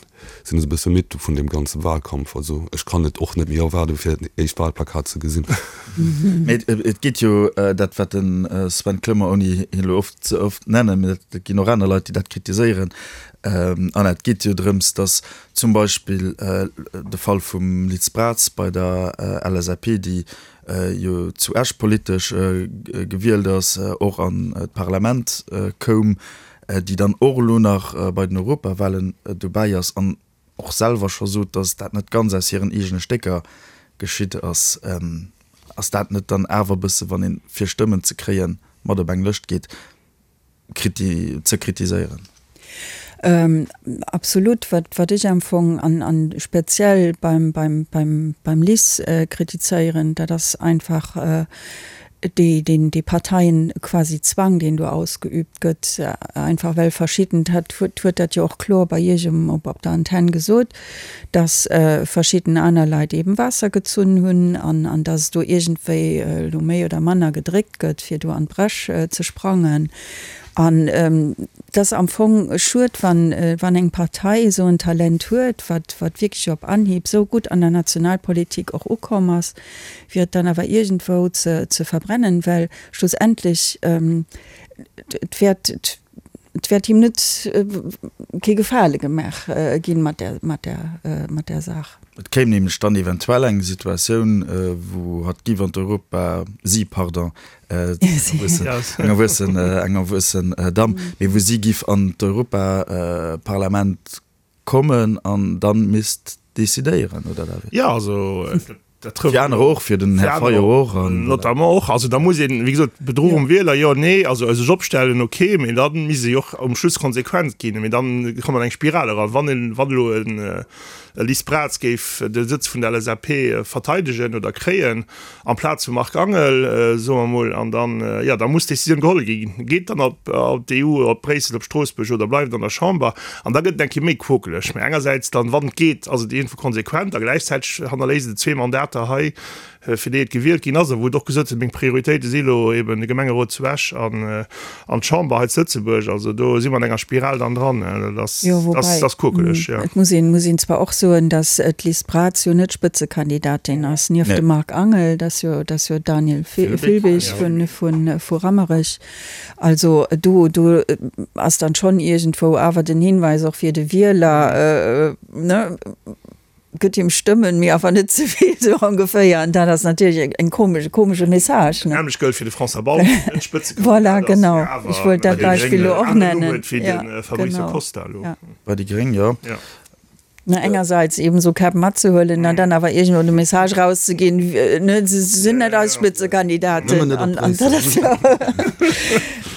sinn esou e bësse midd vun deem ganze Wahlkampf. Also ech kann et och net méi erwaarden, fir dat éischt Wahlplakat ze gesinn. Mee et geet jo, dat wat de Sven Clement, ouni hien elo oft ze oft nennen, mee et ginn och aner Leit, déi dat kritiséieren, An et geet jo drëms, datt zum Beispill de Fall vum Liz Braz bei der LSAP, déi jo zu Esch politesch gewielt ass, och an d'Parlament koum, déi dann och elo nach bei den Europawahlen dobäi ass an och selwer scho sot, datt dat net ganz aus hiren eegene Stécker geschitt ass. Ass dat net dann awer e bësse, wann een, fir Stëmmen ze kréien, mat op eng Lëscht geet, ze kritiséieren? Absolut. Wat, wat ech am Fong an, an speziell beim, beim, beim, beim Liz kritizéieren, dat ass einfach déi, deen, dee Parteien quasi Zwang, deen do ausgeübt gëtt, einfach well verschidden, hat huet dat jo och kloer bei Iech um, op, op der Antenn gesot, dass verschidden aner Leit eben Waasser gezunn hunn an, an dass do iergendwéi elo méi oder manner gedréckt gëtt, fir do an d'Bresch ze sprangen. An et ass am Fong schued, wann, wann eng Partei esou en Talent huet, wat, wat wierklech op Anhieb esou gutt an der Nationalpolitik och ukomm ass, fir et dann awer iergendwou ze, ze verbrennen, well schlussendlech et wäert, et wäert him net kee Gefale gemaach ginn mat där, mat där, mat där Saach. Et kéim nämlech dann eventuell eng Situatioun, wou hatt giff an d'Europa, si, pardon, eng erwuessen, eng erwuessen Damm, mee wou si giff an d'Europaparlament kommen an dann misst decidéieren, oder David? Jo, also dat trëfft. Fir anerer och, fir den Här Fayot och. Notamment och. Also da muss een, wéi gesot, Bedruch um Wieler, jo, nee, also sech opstellen, okay, mee da misst ee jo och um Schluss konsequent ginn. Mee dann kommt an eng Spiral eran, wann een, wann elo en Liz Braz géif de Sëtz vun der L S A P verteidegen oder kréien amplaz vum Marc Angel, soe mer emol, an dann, jo, da muss d'Decisioun geholl ginn, Geet dann op d'E U, op Bréissel, op Stroossbuerg oder bleift an der Chamber? An da gëtt et eng Kéier méi quokeleg. Mä engersäits dann, wann et geet, ass et iergendwou konsequent a gläichzäiteg hannerléisst et zwee Mandater hei, fir déi et gewielt ginn ass a wou et och gesot huet, meng Prioritéite si elo eben de Gemengerot zu Esch an d'Chamber hei zu Lëtzebuerg. Also do si mer an enger Spiral dann dran. Dat ass, Jo, woubäi, dat ass quokeleg, jo. et muss een, muss een zwar och soen, datt d'Liz Braz jo net Spëtzekandidatin ass, nieft dem Marc Angel, dat ass jo, dat ass jo Daniel Filbig vun, vun, vu Rammerech. Also do, do ass dann schonn iergendwou awer den Hinweis och fir de Wieler, ne, gëtt him Stëmmen, mee awer net ze vill, sou ongeféier. An dat ass natierlech eng komesch, e komesche Message, ne? Nämlech gëllt fir de François Bausch, deen net Spëtzekandidat Voilà, ass, genau. mee awer Ech wollt dat bei de Beispill Gréngen elo och en aneren Numm nennen. huet wéi Ja, de Fabrice genau. Costa elo. Ja. Bei déi Gréng, jo. Ja. Ne, engersäits eben esou Käpp matzehuelen an dann awer iergendwou de Message rauszeginn, ne, se sinn net eis Spëtzekandidaten. Nëmmen net op An, an dat ass Bréissel. jo,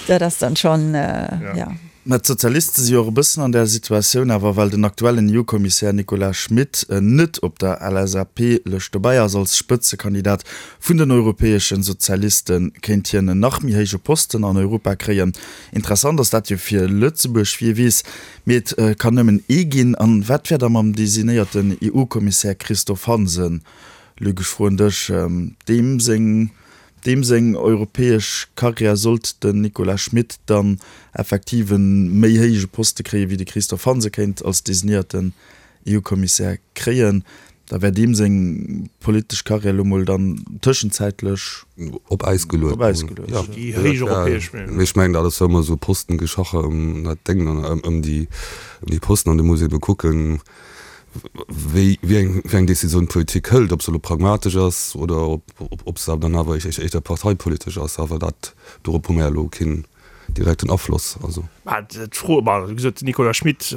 dat ass dann schonn, ja. Mä d'Sozialiste si jo och e bëssen an där Situatioun awer, well den aktuellen E U-Kommissär Nicolas Schmit net op der L S A P-Lëscht dobäi ass als Spëtzekandidat vun den europäesche Sozialisten, kéint hien en nach méi héije Posten an Europa kréien. Interessant ass dat jo fir Lëtzebuerg, wie weess, mee et kann nëmmen ee ginn. An wat wär da mam designéierten E U-Kommissär Christophe Hansen? Luc, ech froen dech, deem seng Deem seng europäesch Karriär sollt den Nicolas Schmit dann effektiv e méi héije Poste kréien, wéi de Christophe Hansen kéint als designéierten E U-Kommissär kréien, da wär deem seng politesch Karriär elo mol dann tëschenzäitlech op Äis geluet. Op Äis geluecht. Ja, Déi héich europäesch, mee ech mengen, dat ass jo ëmmer esou Postengeschache ëm dat Déng an ëm déi ëm déi Posten an do muss ee ebe kucken, wéi wéi eng wéi eng Decisioun d'Politik hëlt, ob se elo pragmatesch ass oder ob ob se dann awer éischter parteipolitesch ass. Awer dat dorop hu mer elo keen direkten Afloss. Also. Mä d'Fro, ma wéi gesot, den Nicolas Schmit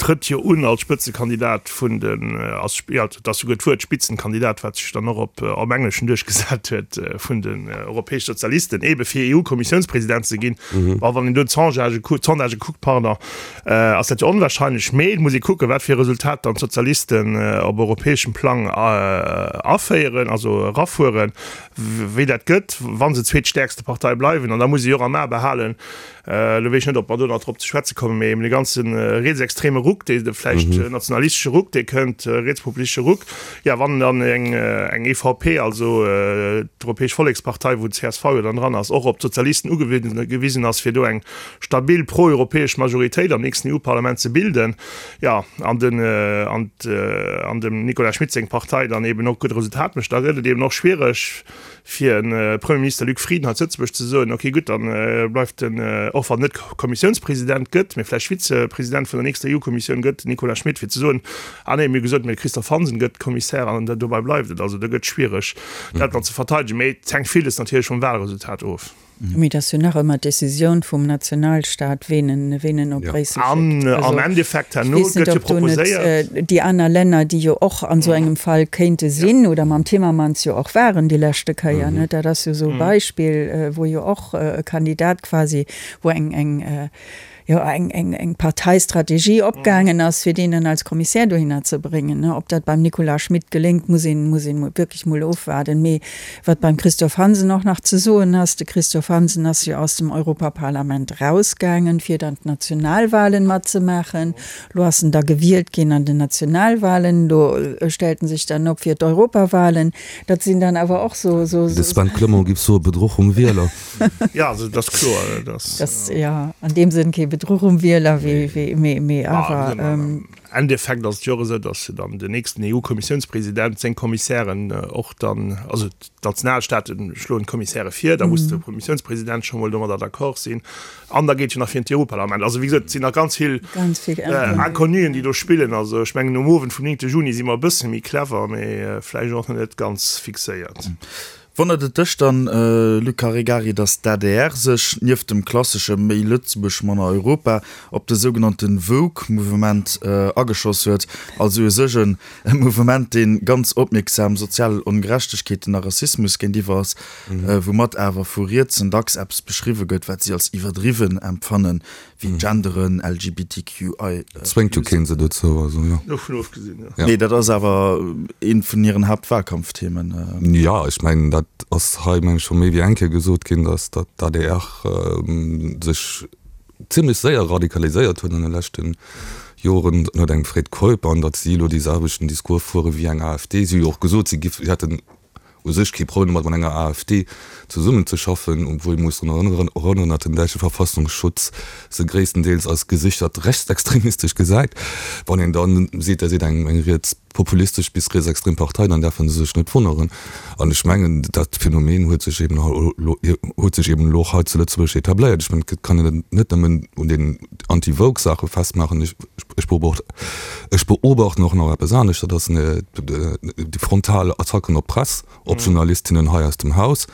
trëtt jo un als Spëtzekandidat vun den, als, jo, et ass souguer d'Wuert Spitzenkandidat, wat sech dann och op am Engleschen duerchgesat huet, vun den europäesche Sozialisten, eebe fir E U-Kommissiounspresident ze ginn. Bon, wann een do d'Sondagë kuckt, d'Sondagë kuckt, pardon, ass dat jo onwahrscheinlech, mee et muss ee kucken, wat fir e Resultat dann d'Sozialisten op europäeschem Plang aféieren, also erafueren, wéi dat gëtt, wa se zweetstäerkste Partei bleiwen. An da muss ee jo och am A behalen, elo weess ech net, ob mer do nach drop ze schwätze kommen, mee eben dee ganze rietsextreme Ruck, dee vläicht nationalistesche Ruck, dee kënnt, rietspopulistesche Ruck, jo, wann dann eng eng E V P, also d'Europäesch Vollekspartei, wou d'C S V jo dann dran ass, och op d'Sozialisten ugewisen ass, fir do eng stabil pro-europäesch Majoritéit am nächsten E U-Parlament ze bilden, jo, an den an an dem Nicolas Schmit seng Partei dann eben och gutt Resultat mécht, da gëtt et eben och schwiereg, fir en Premier Minister Luc Frieden hei zu Lëtzebuerg ze soen, okay gutt, dann bleift en, och wann en net Kommissiounspresident gëtt, mee vläicht Vizepresident vun der nächster E U-Kommissioun gëtt, den Nicolas Schmit, fir ze soen, ah nee, mir hu gesot, mee de Christophe Hansen gëtt Kommissär an dobäi bleift et. Also do gëtt schwiereg dat dann ze verteidegen, mee et hänkt villes natierlech vum Wahlresultat of. Mee et ass jo nach ëmmer d'Decisioun vum Nationalstaat, ween en, ween en op Bréissel schéckt. An am Endeffekt herno gëtt jo proposéiert. Déi aner Länner, déi jo och an esou engem Fall kéinte sinn, oder mam Timmermans jo och waren déi leschte Kéier, net, dat ass jo esou e Beispill, wou jo och e Kandidat quasi, wou eng, eng, jo, eng, eng, eng Parteistrategie opgaangen ass, fir deen dann als Kommissär dohinner ze bréngen. Ob dat beim Nicolas Schmit geléngt, muss een, muss een wierklech mol ofwaarden. Mee wat beim Christophe Hansen och nach ze soen ass, de Christophe Hansen ass jo aus dem Europaparlament rausgaangen, fir dann d'Nationalwahlen matzemaachen. Lo ass en da gewielt ginn an den Nationalwahlen. Lo stellt en sech dann op fir d'Europawahlen. Dat sinn dann awer och sou, sou. De Sven Clement giff soe Bedruch um Wieler. Jo, also et ass kloer, dass. Dass, jo, an deem Sënn kee Bedruch um Wieler, wéi, wéi, mee, mee awer. Am Endeffekt ass et jo och esou, dass dann den nächsten E U-Kommissiounspresident seng Kommissären och dann, also d'Nationalstaate schloen d'Kommissäre vir, da muss de Kommissiounspresident scho mol domadder d'accord sinn an da geet jo nach virun d'Europarlament. Also wéi gesot, et sinn nach ganz vill Inconnuen, déi do spillen. Also ech mengen, um Owend vum néngte Juni si mer e bësse méi clever, mee vläicht och nach net ganz fixéiert. Wonnert et dech dann, Luc Caregari, datt d'A D R sech, nieft dem klassesche méi Lëtzebuerg, manner Europa, op de sougenannte Woke-Mouvement ageschoss huet, also u sech e Mouvement, dee ganz opmierksam sozial Ongerechtegkeeten a Rassismus géintiwwer ass, woumat awer vu Rietsen dacks eppes beschriwwe gëtt, wat si als iwwerdriwwen empfannen, wéi Genderen, L G B T Q I. Zwéngt jo keen se dozou, also jo. Dovun ofgesinn, jo. Nee, dat ass awer eent vun hiren Haaptwahlkampfthemen. Jo, ech mengen, dat ass hei, meng ech, scho méi wéi eng Kéier gesot ginn, datt datt d'A D R sech zimlech séier radikaliséiert huet an de leschte Joren ënnert engem Fred Keup an datt si elo dee selwechten Discours fuere wéi eng A F D. Si hu jo och gesot, si giff, si hätten u sech kee Problem domat, mat enger A F D zesummenzeschaffen, obwuel ee muss drun erënneren, datt den däitsche Verfassungsschutz se gréisstendeels als gesichert rechtsextremistesch gesäit. Wann een dann seet, der seet eng rietspopulistesch bis rietsextrem Partei, dann däerfe se sech net wonneren. An ech mengen, dat Phänomen huet sech eben huet sech eben elo och hei zu Lëtzebuerg etabléiert. Ech mengen, et kann een et net nëmmen un den Anti-Woke-Saache festmaachen. Ech ech beobachten och nach eppes anescht, dat ass déi frontal Attacken op d'Press, op Journalistinnen hei aus dem Haus,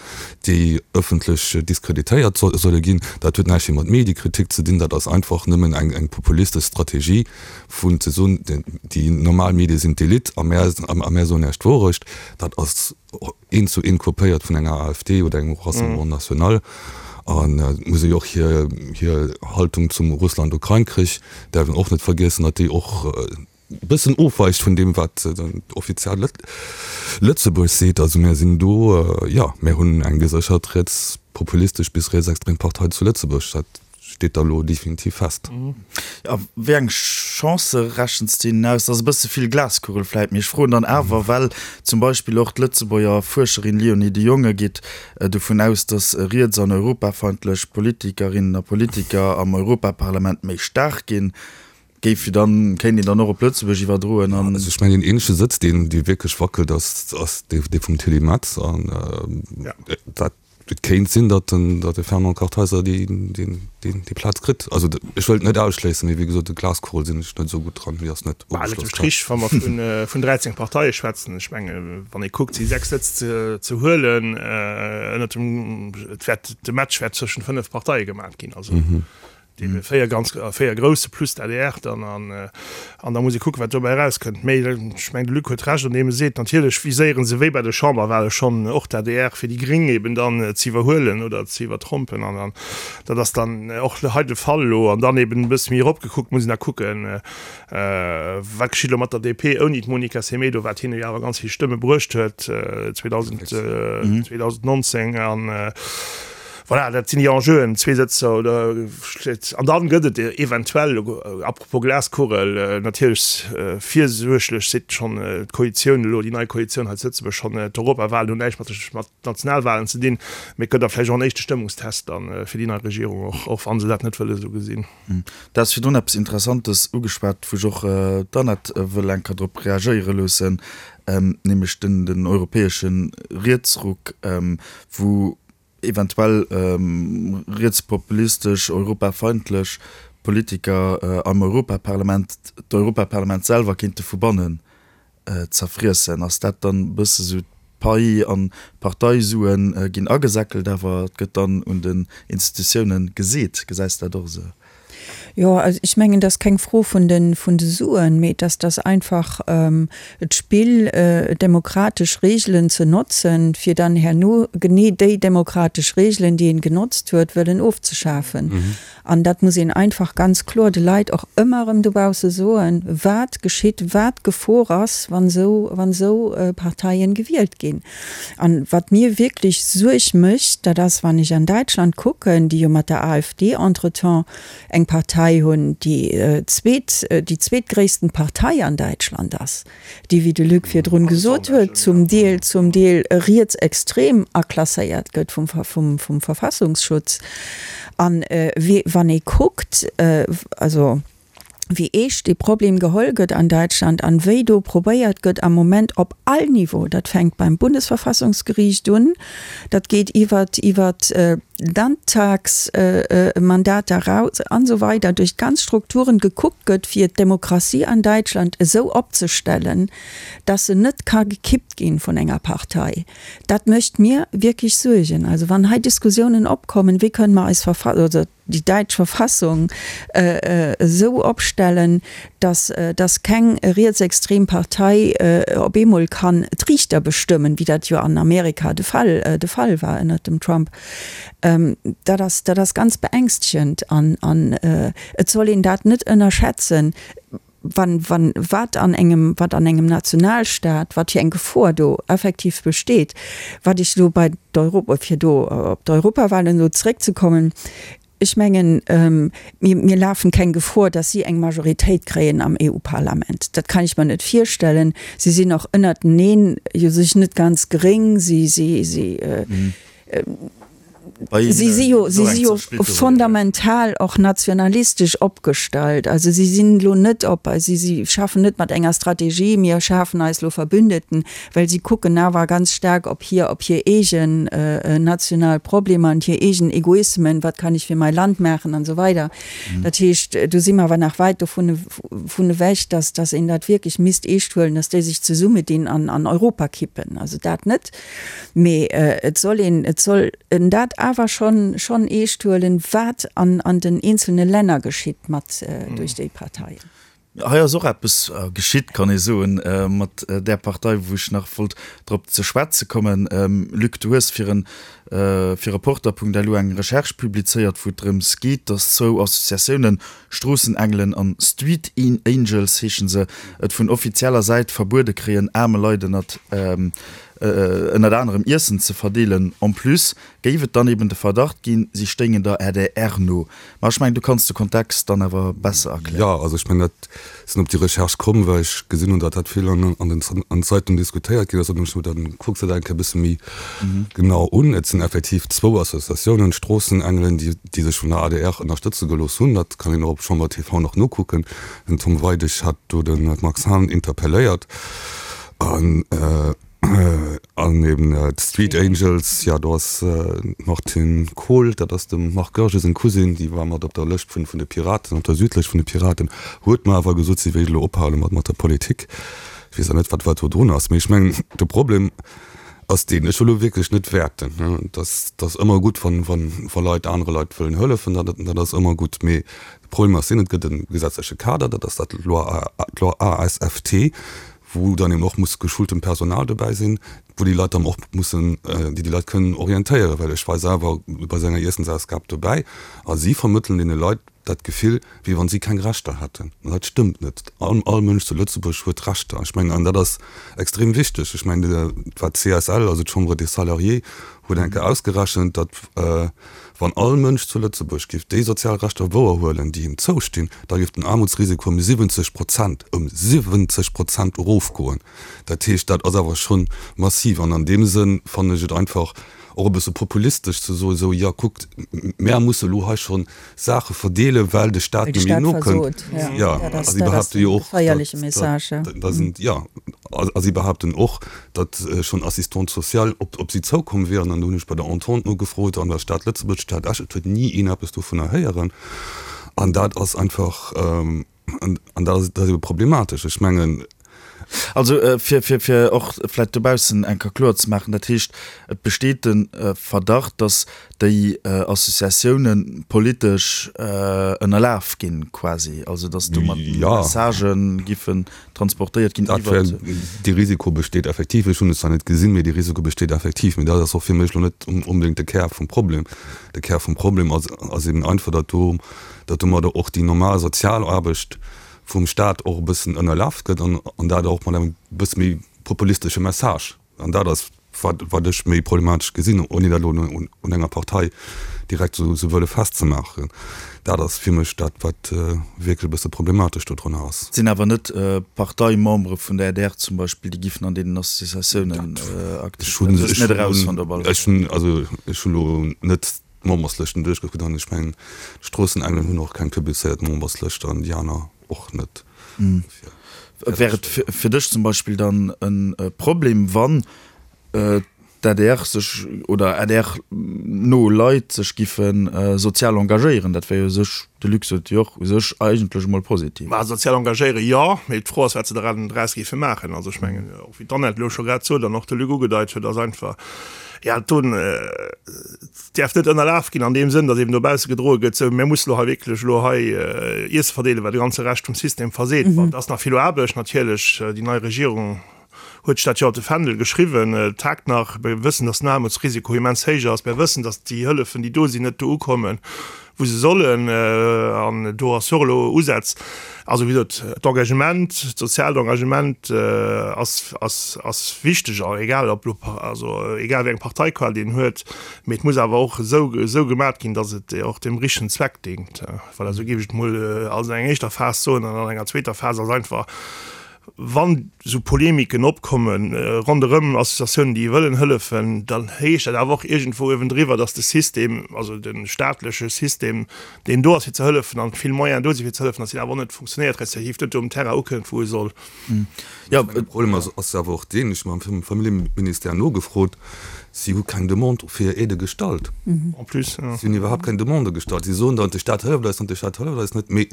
déi ëffentlech diskreditéiert solle ginn. Dat huet näischt méi mat Mediekritik ze dinn, dat ass einfach nëmmen eng eng populistesch Strategie vun ze soen, déi normal Medie sinn d'Elite a mär a mär soen Iech d'Wourecht. Dat ass eent zu eent kopéiert vun enger A F D oder engem Rassemblement National. An et muss ee jo och hir hir Haltung zum Russland-Ukrain-Krich däerf een och net vergiessen, datt déi och e bëssen ofweicht vun deem, wat offiziell Lëtzebuerg seet. Also mär sinn do, jo, mär hunn eng geséchert rietspopulistesch bis rietsextrem Partei zu Lëtzebuerg. Dat steet da lo definitiv fest. A wéi eng Chancë rechens de hinnen aus? Dat ass e bësse vill Glaskugel vläit, mee ech froen dann awer, well zum Beispill och d'Lëtzebuerger Fuerscherin Léonie de Jonge geet dovun aus, datt riets an europafeindlech Politikerinnen a Politiker am Europaparlament méi staark ginn. Géif jo dann, kéint een dann och op Lëtzebuerg iwwerdroen an. Also ech mengen, deen eenzege Sëtz, deen, dee wierklech wackelt, ass, ass dee, dee vum Tilly Metz. An dat, et kéint sinn, datt den, datt de Fernand Kartheiser déi, déi, déi, déi Plaz kritt. Also ech wëllt net ausschléissen, mee wéi gesot, de Glaskugel sinn ech net esou gutt dran, déi ass net Bah, ënnert dem ugeschloss. Strich, wa mer vun, vun dräizéng Parteie schwätzen, ech menge wann ee kuckt, si sechs Sëtz ze, ze huelen, ënnert dem, et wäert, de Match wäert zwëschent fënnef Parteie gemaach ginn. Also deene véier ganz, véier grousse plus d'A D R dann an, an da muss ee kucken, wat dobäi erauskënnt. Mee ech mengen, de Luc huet Recht, an deem e seet, natierlech viséiere se wéi bei de Chamberwahle schonn och d'A D R, fir déi Gréng eben dann ze iwwerhuelen oder ze iwwertrompen. An dann, dat ass dann och hei de Fall elo. An dann eben e bësse méi eropgekuckt muss een da kucken, wat geschitt elo mat der D P ouni d'Monica Semedo, wat hinne jo awer ganz vill Stëmme bruecht huet zweedausendnonzéng. An voilà, dat sinn déi Enjeuen, zwee Sëtzer oder, an dann gëtt et eventuell, apropos Glaskugel, natierlech virsuerglech seet schonn d'Koalitioun elo, déi nei Koalitioun hei zu Lëtzebuerg schonn, d'Europawahlen hunn näischt mat de mat Nationalwahlen ze dinn, mee et gëtt da vläicht och en éischte Stëmmungstest dann fir déi nei Regierung, och och wa se dat net wëlle esou gesinn. Du has virdrun eppes Interessantes ugeschwat, wou ech och d'Annette wëll eng Kéier drop reagéiere loossen. nämlech den, den europäesche Rietsruck, wou eventuell rietspopulistesch, europafeindlech Politiker am Europaparlament d'Europaparlament selwer kéinte vu bannen zerfriessen. Ass dat dann e bësse sou d'Pai an d'Parteisuen ginn agesäckelt, awer et gëtt dann un den Institutiounen geseet? Gesäis de dat och esou? Jo, also ech mengen, dat ass keng Fro vun de, vun de Suen, mee et ass, dass einfach d'Spill, demokratesch Regeln ze notzen, fir dann herno genee déi demokratesch Regeln, déi een genotzt huet, wëllen ofzeschafen. An dat muss een einfach ganz kloer de Leit och ëmmer erëm dobausse soen, wat geschitt, wat d'Gefor ass, wann esou, wann esou Parteien gewielt ginn. An wat mir wierklech Suerg mécht, dat ass, wann ech an Däitschland kucken, déi jo mat der AfD entretemps eng Partei hunn, déi zweet, déi zweetgréissten Partei an Däitschland ass, déi, wéi de Luc virdrun gesot huet, zum Deel, zum Deel rietsextrem aklasséiert gëtt vum, vum, vum Verfassungsschutz. An wann ee kuckt, also wéi eescht dee Problem geholl gëtt an Däitschland an wéi do probéiert gëtt am Moment op all Niveau, dat fänkt beim Bundesverfassungsgeriicht un, dat geet iwwert iwwert d'Landtagsmandater eraus an esou weider, duerch d'ganz Strukturen gekuckt gëtt, fir d'Demokratie an Däitschland esou opzestellen, dass se net ka gekippt ginn vun enger Partei. Dat mécht mir wierklech Suergen. Also wann hei Diskussiounen opkommen, wéi kënnen mer eis Verfa oder déi däitsch Verfassung esou opstellen, dass dass keng rietsextrem Partei op eemol kann d'Riichter bestëmmen, wéi dat jo an Amerika de Fall de Fall war ënnert dem Trump, dat ass dat ass ganz beängstegend an an et soll een dat net ënnerschätzen. Wann, wann, wat an engem, wat an engem Nationalstaat, wat fir eng Gefor do effektiv besteet. Wat ech elo bei d'Europa, fir do op d'Europawahlen elo zréckzekommen, ech mengen, mir, mir lafen keng Gefor, dass si eng Majoritéit kréien am EU-Parlament. Dat kann ech mer net virstellen. Si sinn och ënnerteneen jo sech net ganz gréng. Si, si, si, Si si jo, si si jo fundamental och nationalistesch opgestallt. Also si sinn elo net op, si si schaffen net mat enger Strategie, mir schafen eis elo Verbündeten, well si kucken awer ganz staark op hir, op hir eegen national Problemer an hir eegen Egoismen, wat kann ich für mein Land machen an esou weider. Dat heescht, do si mer awer nach wäit dovun vun ewech, dass, dass een dat wierklech misst eescht huelen, dass déi sech zesummedinn an an Europa kippen. Also dat net. Mee et soll een, et soll en dat awer schonn, schonn eescht huelen, wat an, an den eenzelne Länner geschitt mat, duerch déi Parteien. Hei ass och eppes geschitt, kann ee soen, mat där Partei, wou ech nach wollt drop ze schwätze kommen. Luc, du hues fir en, fir Reporter.lu eng Recherche publizéiert, wou et drëms geet, datt zwou Associatiounen, Stroossenengelen an Street Angels heeschen se, et vun offizieller Säit verbuede kréien, aarme Leit ënnert ënnert anerem Iessen ze verdeelen. En plus géif et dann eben de Verdacht ginn, si stéingen der adr no. Ma ech mengen, du kanns de Kontext dann awer besser erklären. Jo, also ech mengen, dat sinn op déi Recherche komm, well ech gesinn hunn, datt dat vill an an den Zeitungen diskutéiert ginn ass. An ech hunn dann kucks dat eng Kéier e bësse méi genau un. Et sinn effektiv zwou Associatiounen, d'Stroossenengelen, déi déi sech vun der adr ënnerstëtze gelooss hunn. Dat kann een och op Chamber T V nach nokucken. Den Tom Weidig hat do de Max Hahn interpelléiert. An an eben d'Street Angels, jo do ass d'Martine Kohl, dat ass dem Marc Goergen seng Cousine, déi war mat op der Lëscht vun vun de Piraten, op der Südlëscht vun de Piraten, huet mer awer gesot, si wéilt elo ophale mat mat der Politik. Ech weess och net, wat wat do drun ass. Mee ech mengen, de Problem ass deen, ech wëll elo wierklech net wäerten, dass ass ëmmer gutt, wann wann wa Leit anere Leit wëllen hëllefen, dat dat ass ëmmer gutt. Mee de Problem ass deen, et gëtt e gesetzleche Kader, dat ass dat Loi d'Loi A S F T, wou dann eben och muss geschultem Personal dobäi sinn, wou déi Leit dann och mussen, déi déi Leit kënnen orientéieren, well ech war selwer bei esou enger Iessensausgab dobäi a si vermëttelen deene Leit dat Gefill, wéi wann si keng Rechter hätten. An dat stëmmt net. All, all Mënsch zu Lëtzebuerg huet Rechter. Ech mengen, an dat ass extrem wichteg. Ech mengen, wat d'C S L, also d'Chambre des Salariés, huet eng Kéier ausgerechent, datt wann all Mënsch zu Lëtzebuerg géif déi sozial Rechter wouerhuelen, déi him zoustinn, da géif den Aarmutsrisiko ëm siwwenzeg Prozent, ëm siwwenzeg Prozent erofgoen. Dat heescht, dat ass awer scho massiv. An an deem Sënn fannen ech et einfach och e bësse populistesch ze soen, esou, jo kuckt, mär musse elo hei schonn Saache verdeelen, well de Staat net méi nokënnt. Jo, a si behaapte jo och, datt, datt, jo, A si behaapten och, datt schonn Assistante sociale op op si zoukomm wieren. An do hunn ech bei der Entente nogefrot an der Stad Lëtzebuerg, Stad Esch, et huet ni een eppes dovunner héieren. An dat ass einfach, an dat ass dat ass ebe problematesch. Ech mengen. Also fir fir fir och vläicht dobaussen eng Kéier kloer ze maachen, dat heescht, et besteet de Verdacht, datt déi Associatioune politesch ënnerlaf ginn quasi, also datt domat Messagë giffen transportéiert ginn iwwert. Dee Risiko besteet effektiv. Ech hunn et zwar net gesinn, mee dee Risiko besteet effektiv. Mee dat ass och fir mech elo net onbedéngt de Kär vum Problem. De Kär vum Problem ass ass eben einfach, datt do, datt domadder och déi normal Sozialaarbecht vum Staat och e bëssen ënnerlaf gëtt an an dat och mat engem bësse méi populistesche Message. An dat ass wat wat ech méi problematesch gesinn, ouni dat elo un un enger Partei direkt esou esou wëlle festzemaachen. Dat ass fir mech dat, wat wierklech e bësse problematesch dodrunner ass. Et sinn awer net Parteimembere vun der adr zum Beispill, déi giffen an deenen Associatiounen aktiv sinn. Dat hues de net erausfonnt op alle Fall. Ech hunn, also ech hunn elo net d'Memberslëschten duerchgekuckt an ech mengen d'Stroossenengelen hunn och keng publizéiert Memberslëscht an déi aner och net. Wär et fir dech zum Beispill dann e Problem, wann d'ADR sech oder A D R no Leit sech giffe sozial engagéieren? Dat wär jo u sech, de Luc sot et jo och, u sech eigentlech emol positiv. Mä sozial engagéiere jo, mee d'Fro ass, wat se draus géife maachen. Also ech mengen, och wéi d'Annette elo scho grad sot an och de Luc ugedeit huet, ass einfach, jo, do däerf net ënnerlaf ginn an deem Sënn, datt eben dobausse gedroe gëtt, sou, mir musse lo hei wierklech elo hei Iesse verdeelen, well de ganze Rescht vum System verseet. Bon, et ass nach vill Aarbecht natierlech. Déi nei Regierung huet sech dat jo op de Fändel geschriwwen. Et haakt nach. Mir wëssen, datt den Aarmutsrisiko immens héich ass. Mir wëssen, datt déi Hëllefen, déi do sinn, net do ukommen, wou se sollen. An do ass jo och elo Usätz. Also, wéi gesot, d'Engagement, d'soziaalt Engagement ass, ass, ass wichteg, egal ob elo, also egal wéi eng Parteiqual een huet. Mee et muss awer och esou, esou gemat ginn, datt et och dem richtegen Zweck déngt. Voilà, esou géif ech et emol als eng éischter Phas soen. An an enger zweeter Phas ass einfach, wann esou Polemiken opkomme ronderëm Associatiounen, déi wëllen hëllefen, dann heescht dat awer och iergendwou uewendriwwer, datt de System, also de staatleche System, deen do ass fir ze hëllefen an vill Moyenen do si fir ze hëllefen, datt deen awer och net funktionéiert, respektiv net do um Terrain ukënnt, wou e soll. Jo, de Problem ass awer och deen, ech hu mam Familljeministère nogefrot, si hu keng Demande fir Aidë gestallt. En plus, jo. Si hunn iwwerhaapt keng Demande gestallt. Si soen dann, de Staat hëlleft eis net, de Staat hëlleft eis net, mee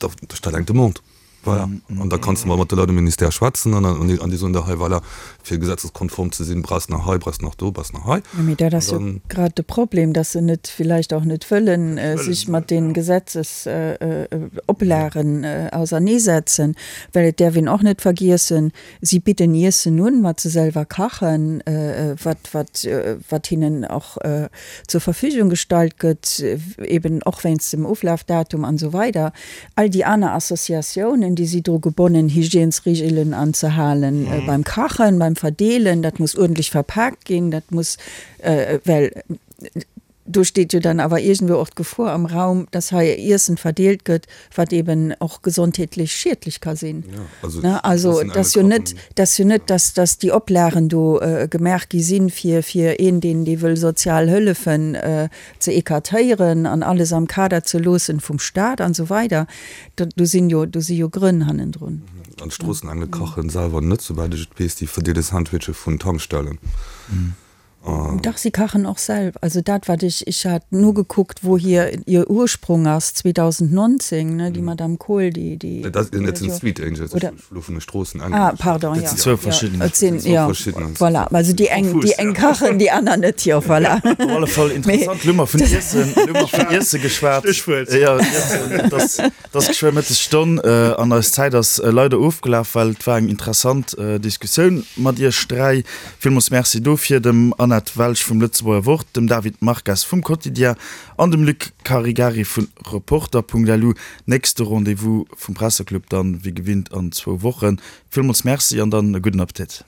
da stell eng Demande. Voilà. An da kanns de mol mat de Leit um Ministère schwätzen an an déi soen der hei, voilà, fir gesetzeskonform ze sinn, brauchs nach hei, brauchs nach do, brauchs nach hei. Jo, mee dat ass jo grad de Problem, dass se net, villäicht och net wëllen sech mat de Gesetzesoplagen auserneesetzen, well et däerf een och net vergiessen, si bidden Iessen un, wat se selwer kachen, wat, wat, wat hinnen och zur Verfügung gestallt gëtt, eben och wéinst dem Oflafdatum an esou weider. All déi aner Associatiounen, déi si dru gebonnen, Hygiènesregelen anzehalen beim Kachen, beim Verdeelen, dat muss uerdentlech verpaakt ginn, dat muss, well do steet jo dann awer iergendwou och d'Gefor am Raum, dass hei Iessen verdeelt gëtt, wat eben och gesondheetlech schiedlech ka sinn. Also et ass jo net, et ass jo net, dass, dass déi Oplagen do gemaach gi sinn, fir, fir een, deen, dee wëll sozial hëllefen, ze écartéieren an alles am Kader ze loossen vum Staat an esou weider, do sinn jo, do si jo Grënn hannendrun. An d'Stroossenengel kachen selwer net, souwäit ech et weess, déi verdeele Sandwiche vun Tankstellen. Dach, si kachen och selwer. Also dat wat ech, ech hat nogekuckt, wou hir hir Ursprung ass, zweedausendnonzéng, ne, déi Madame Kohl, déi, déi. Dat sinn d'Sweet Angels, ech hu elo vun de Stroossenengelen Ah, pardon, jo. Dat sinn zwou verschidden. Et sinn, jo, voilà. Also déi eng, déi eng kachen, déi aner net, jo, voilà. Op alle Fall interessant. Elo hu mer vun Iessen, elo hu mer vun Iesse geschwat. Stéchwuert. Jo, Iessen, et ass, et ass geschwë Mëttesstonn an eis Zäit ass leider ofgelaf, well et war eng interessant Diskussioun mat iech dräi. Villmools Merci dofir dem Annette Welsch vum Lëtzebuerger Wort, dem David Marques vum Quotidien an dem Luc Caregari vu Reporter Punkt L U. Nächste Rendez-vous vum Presseclub dann wéi gewinnt an zwou Wochen. Villmools Merci an dann e gudden Appetit.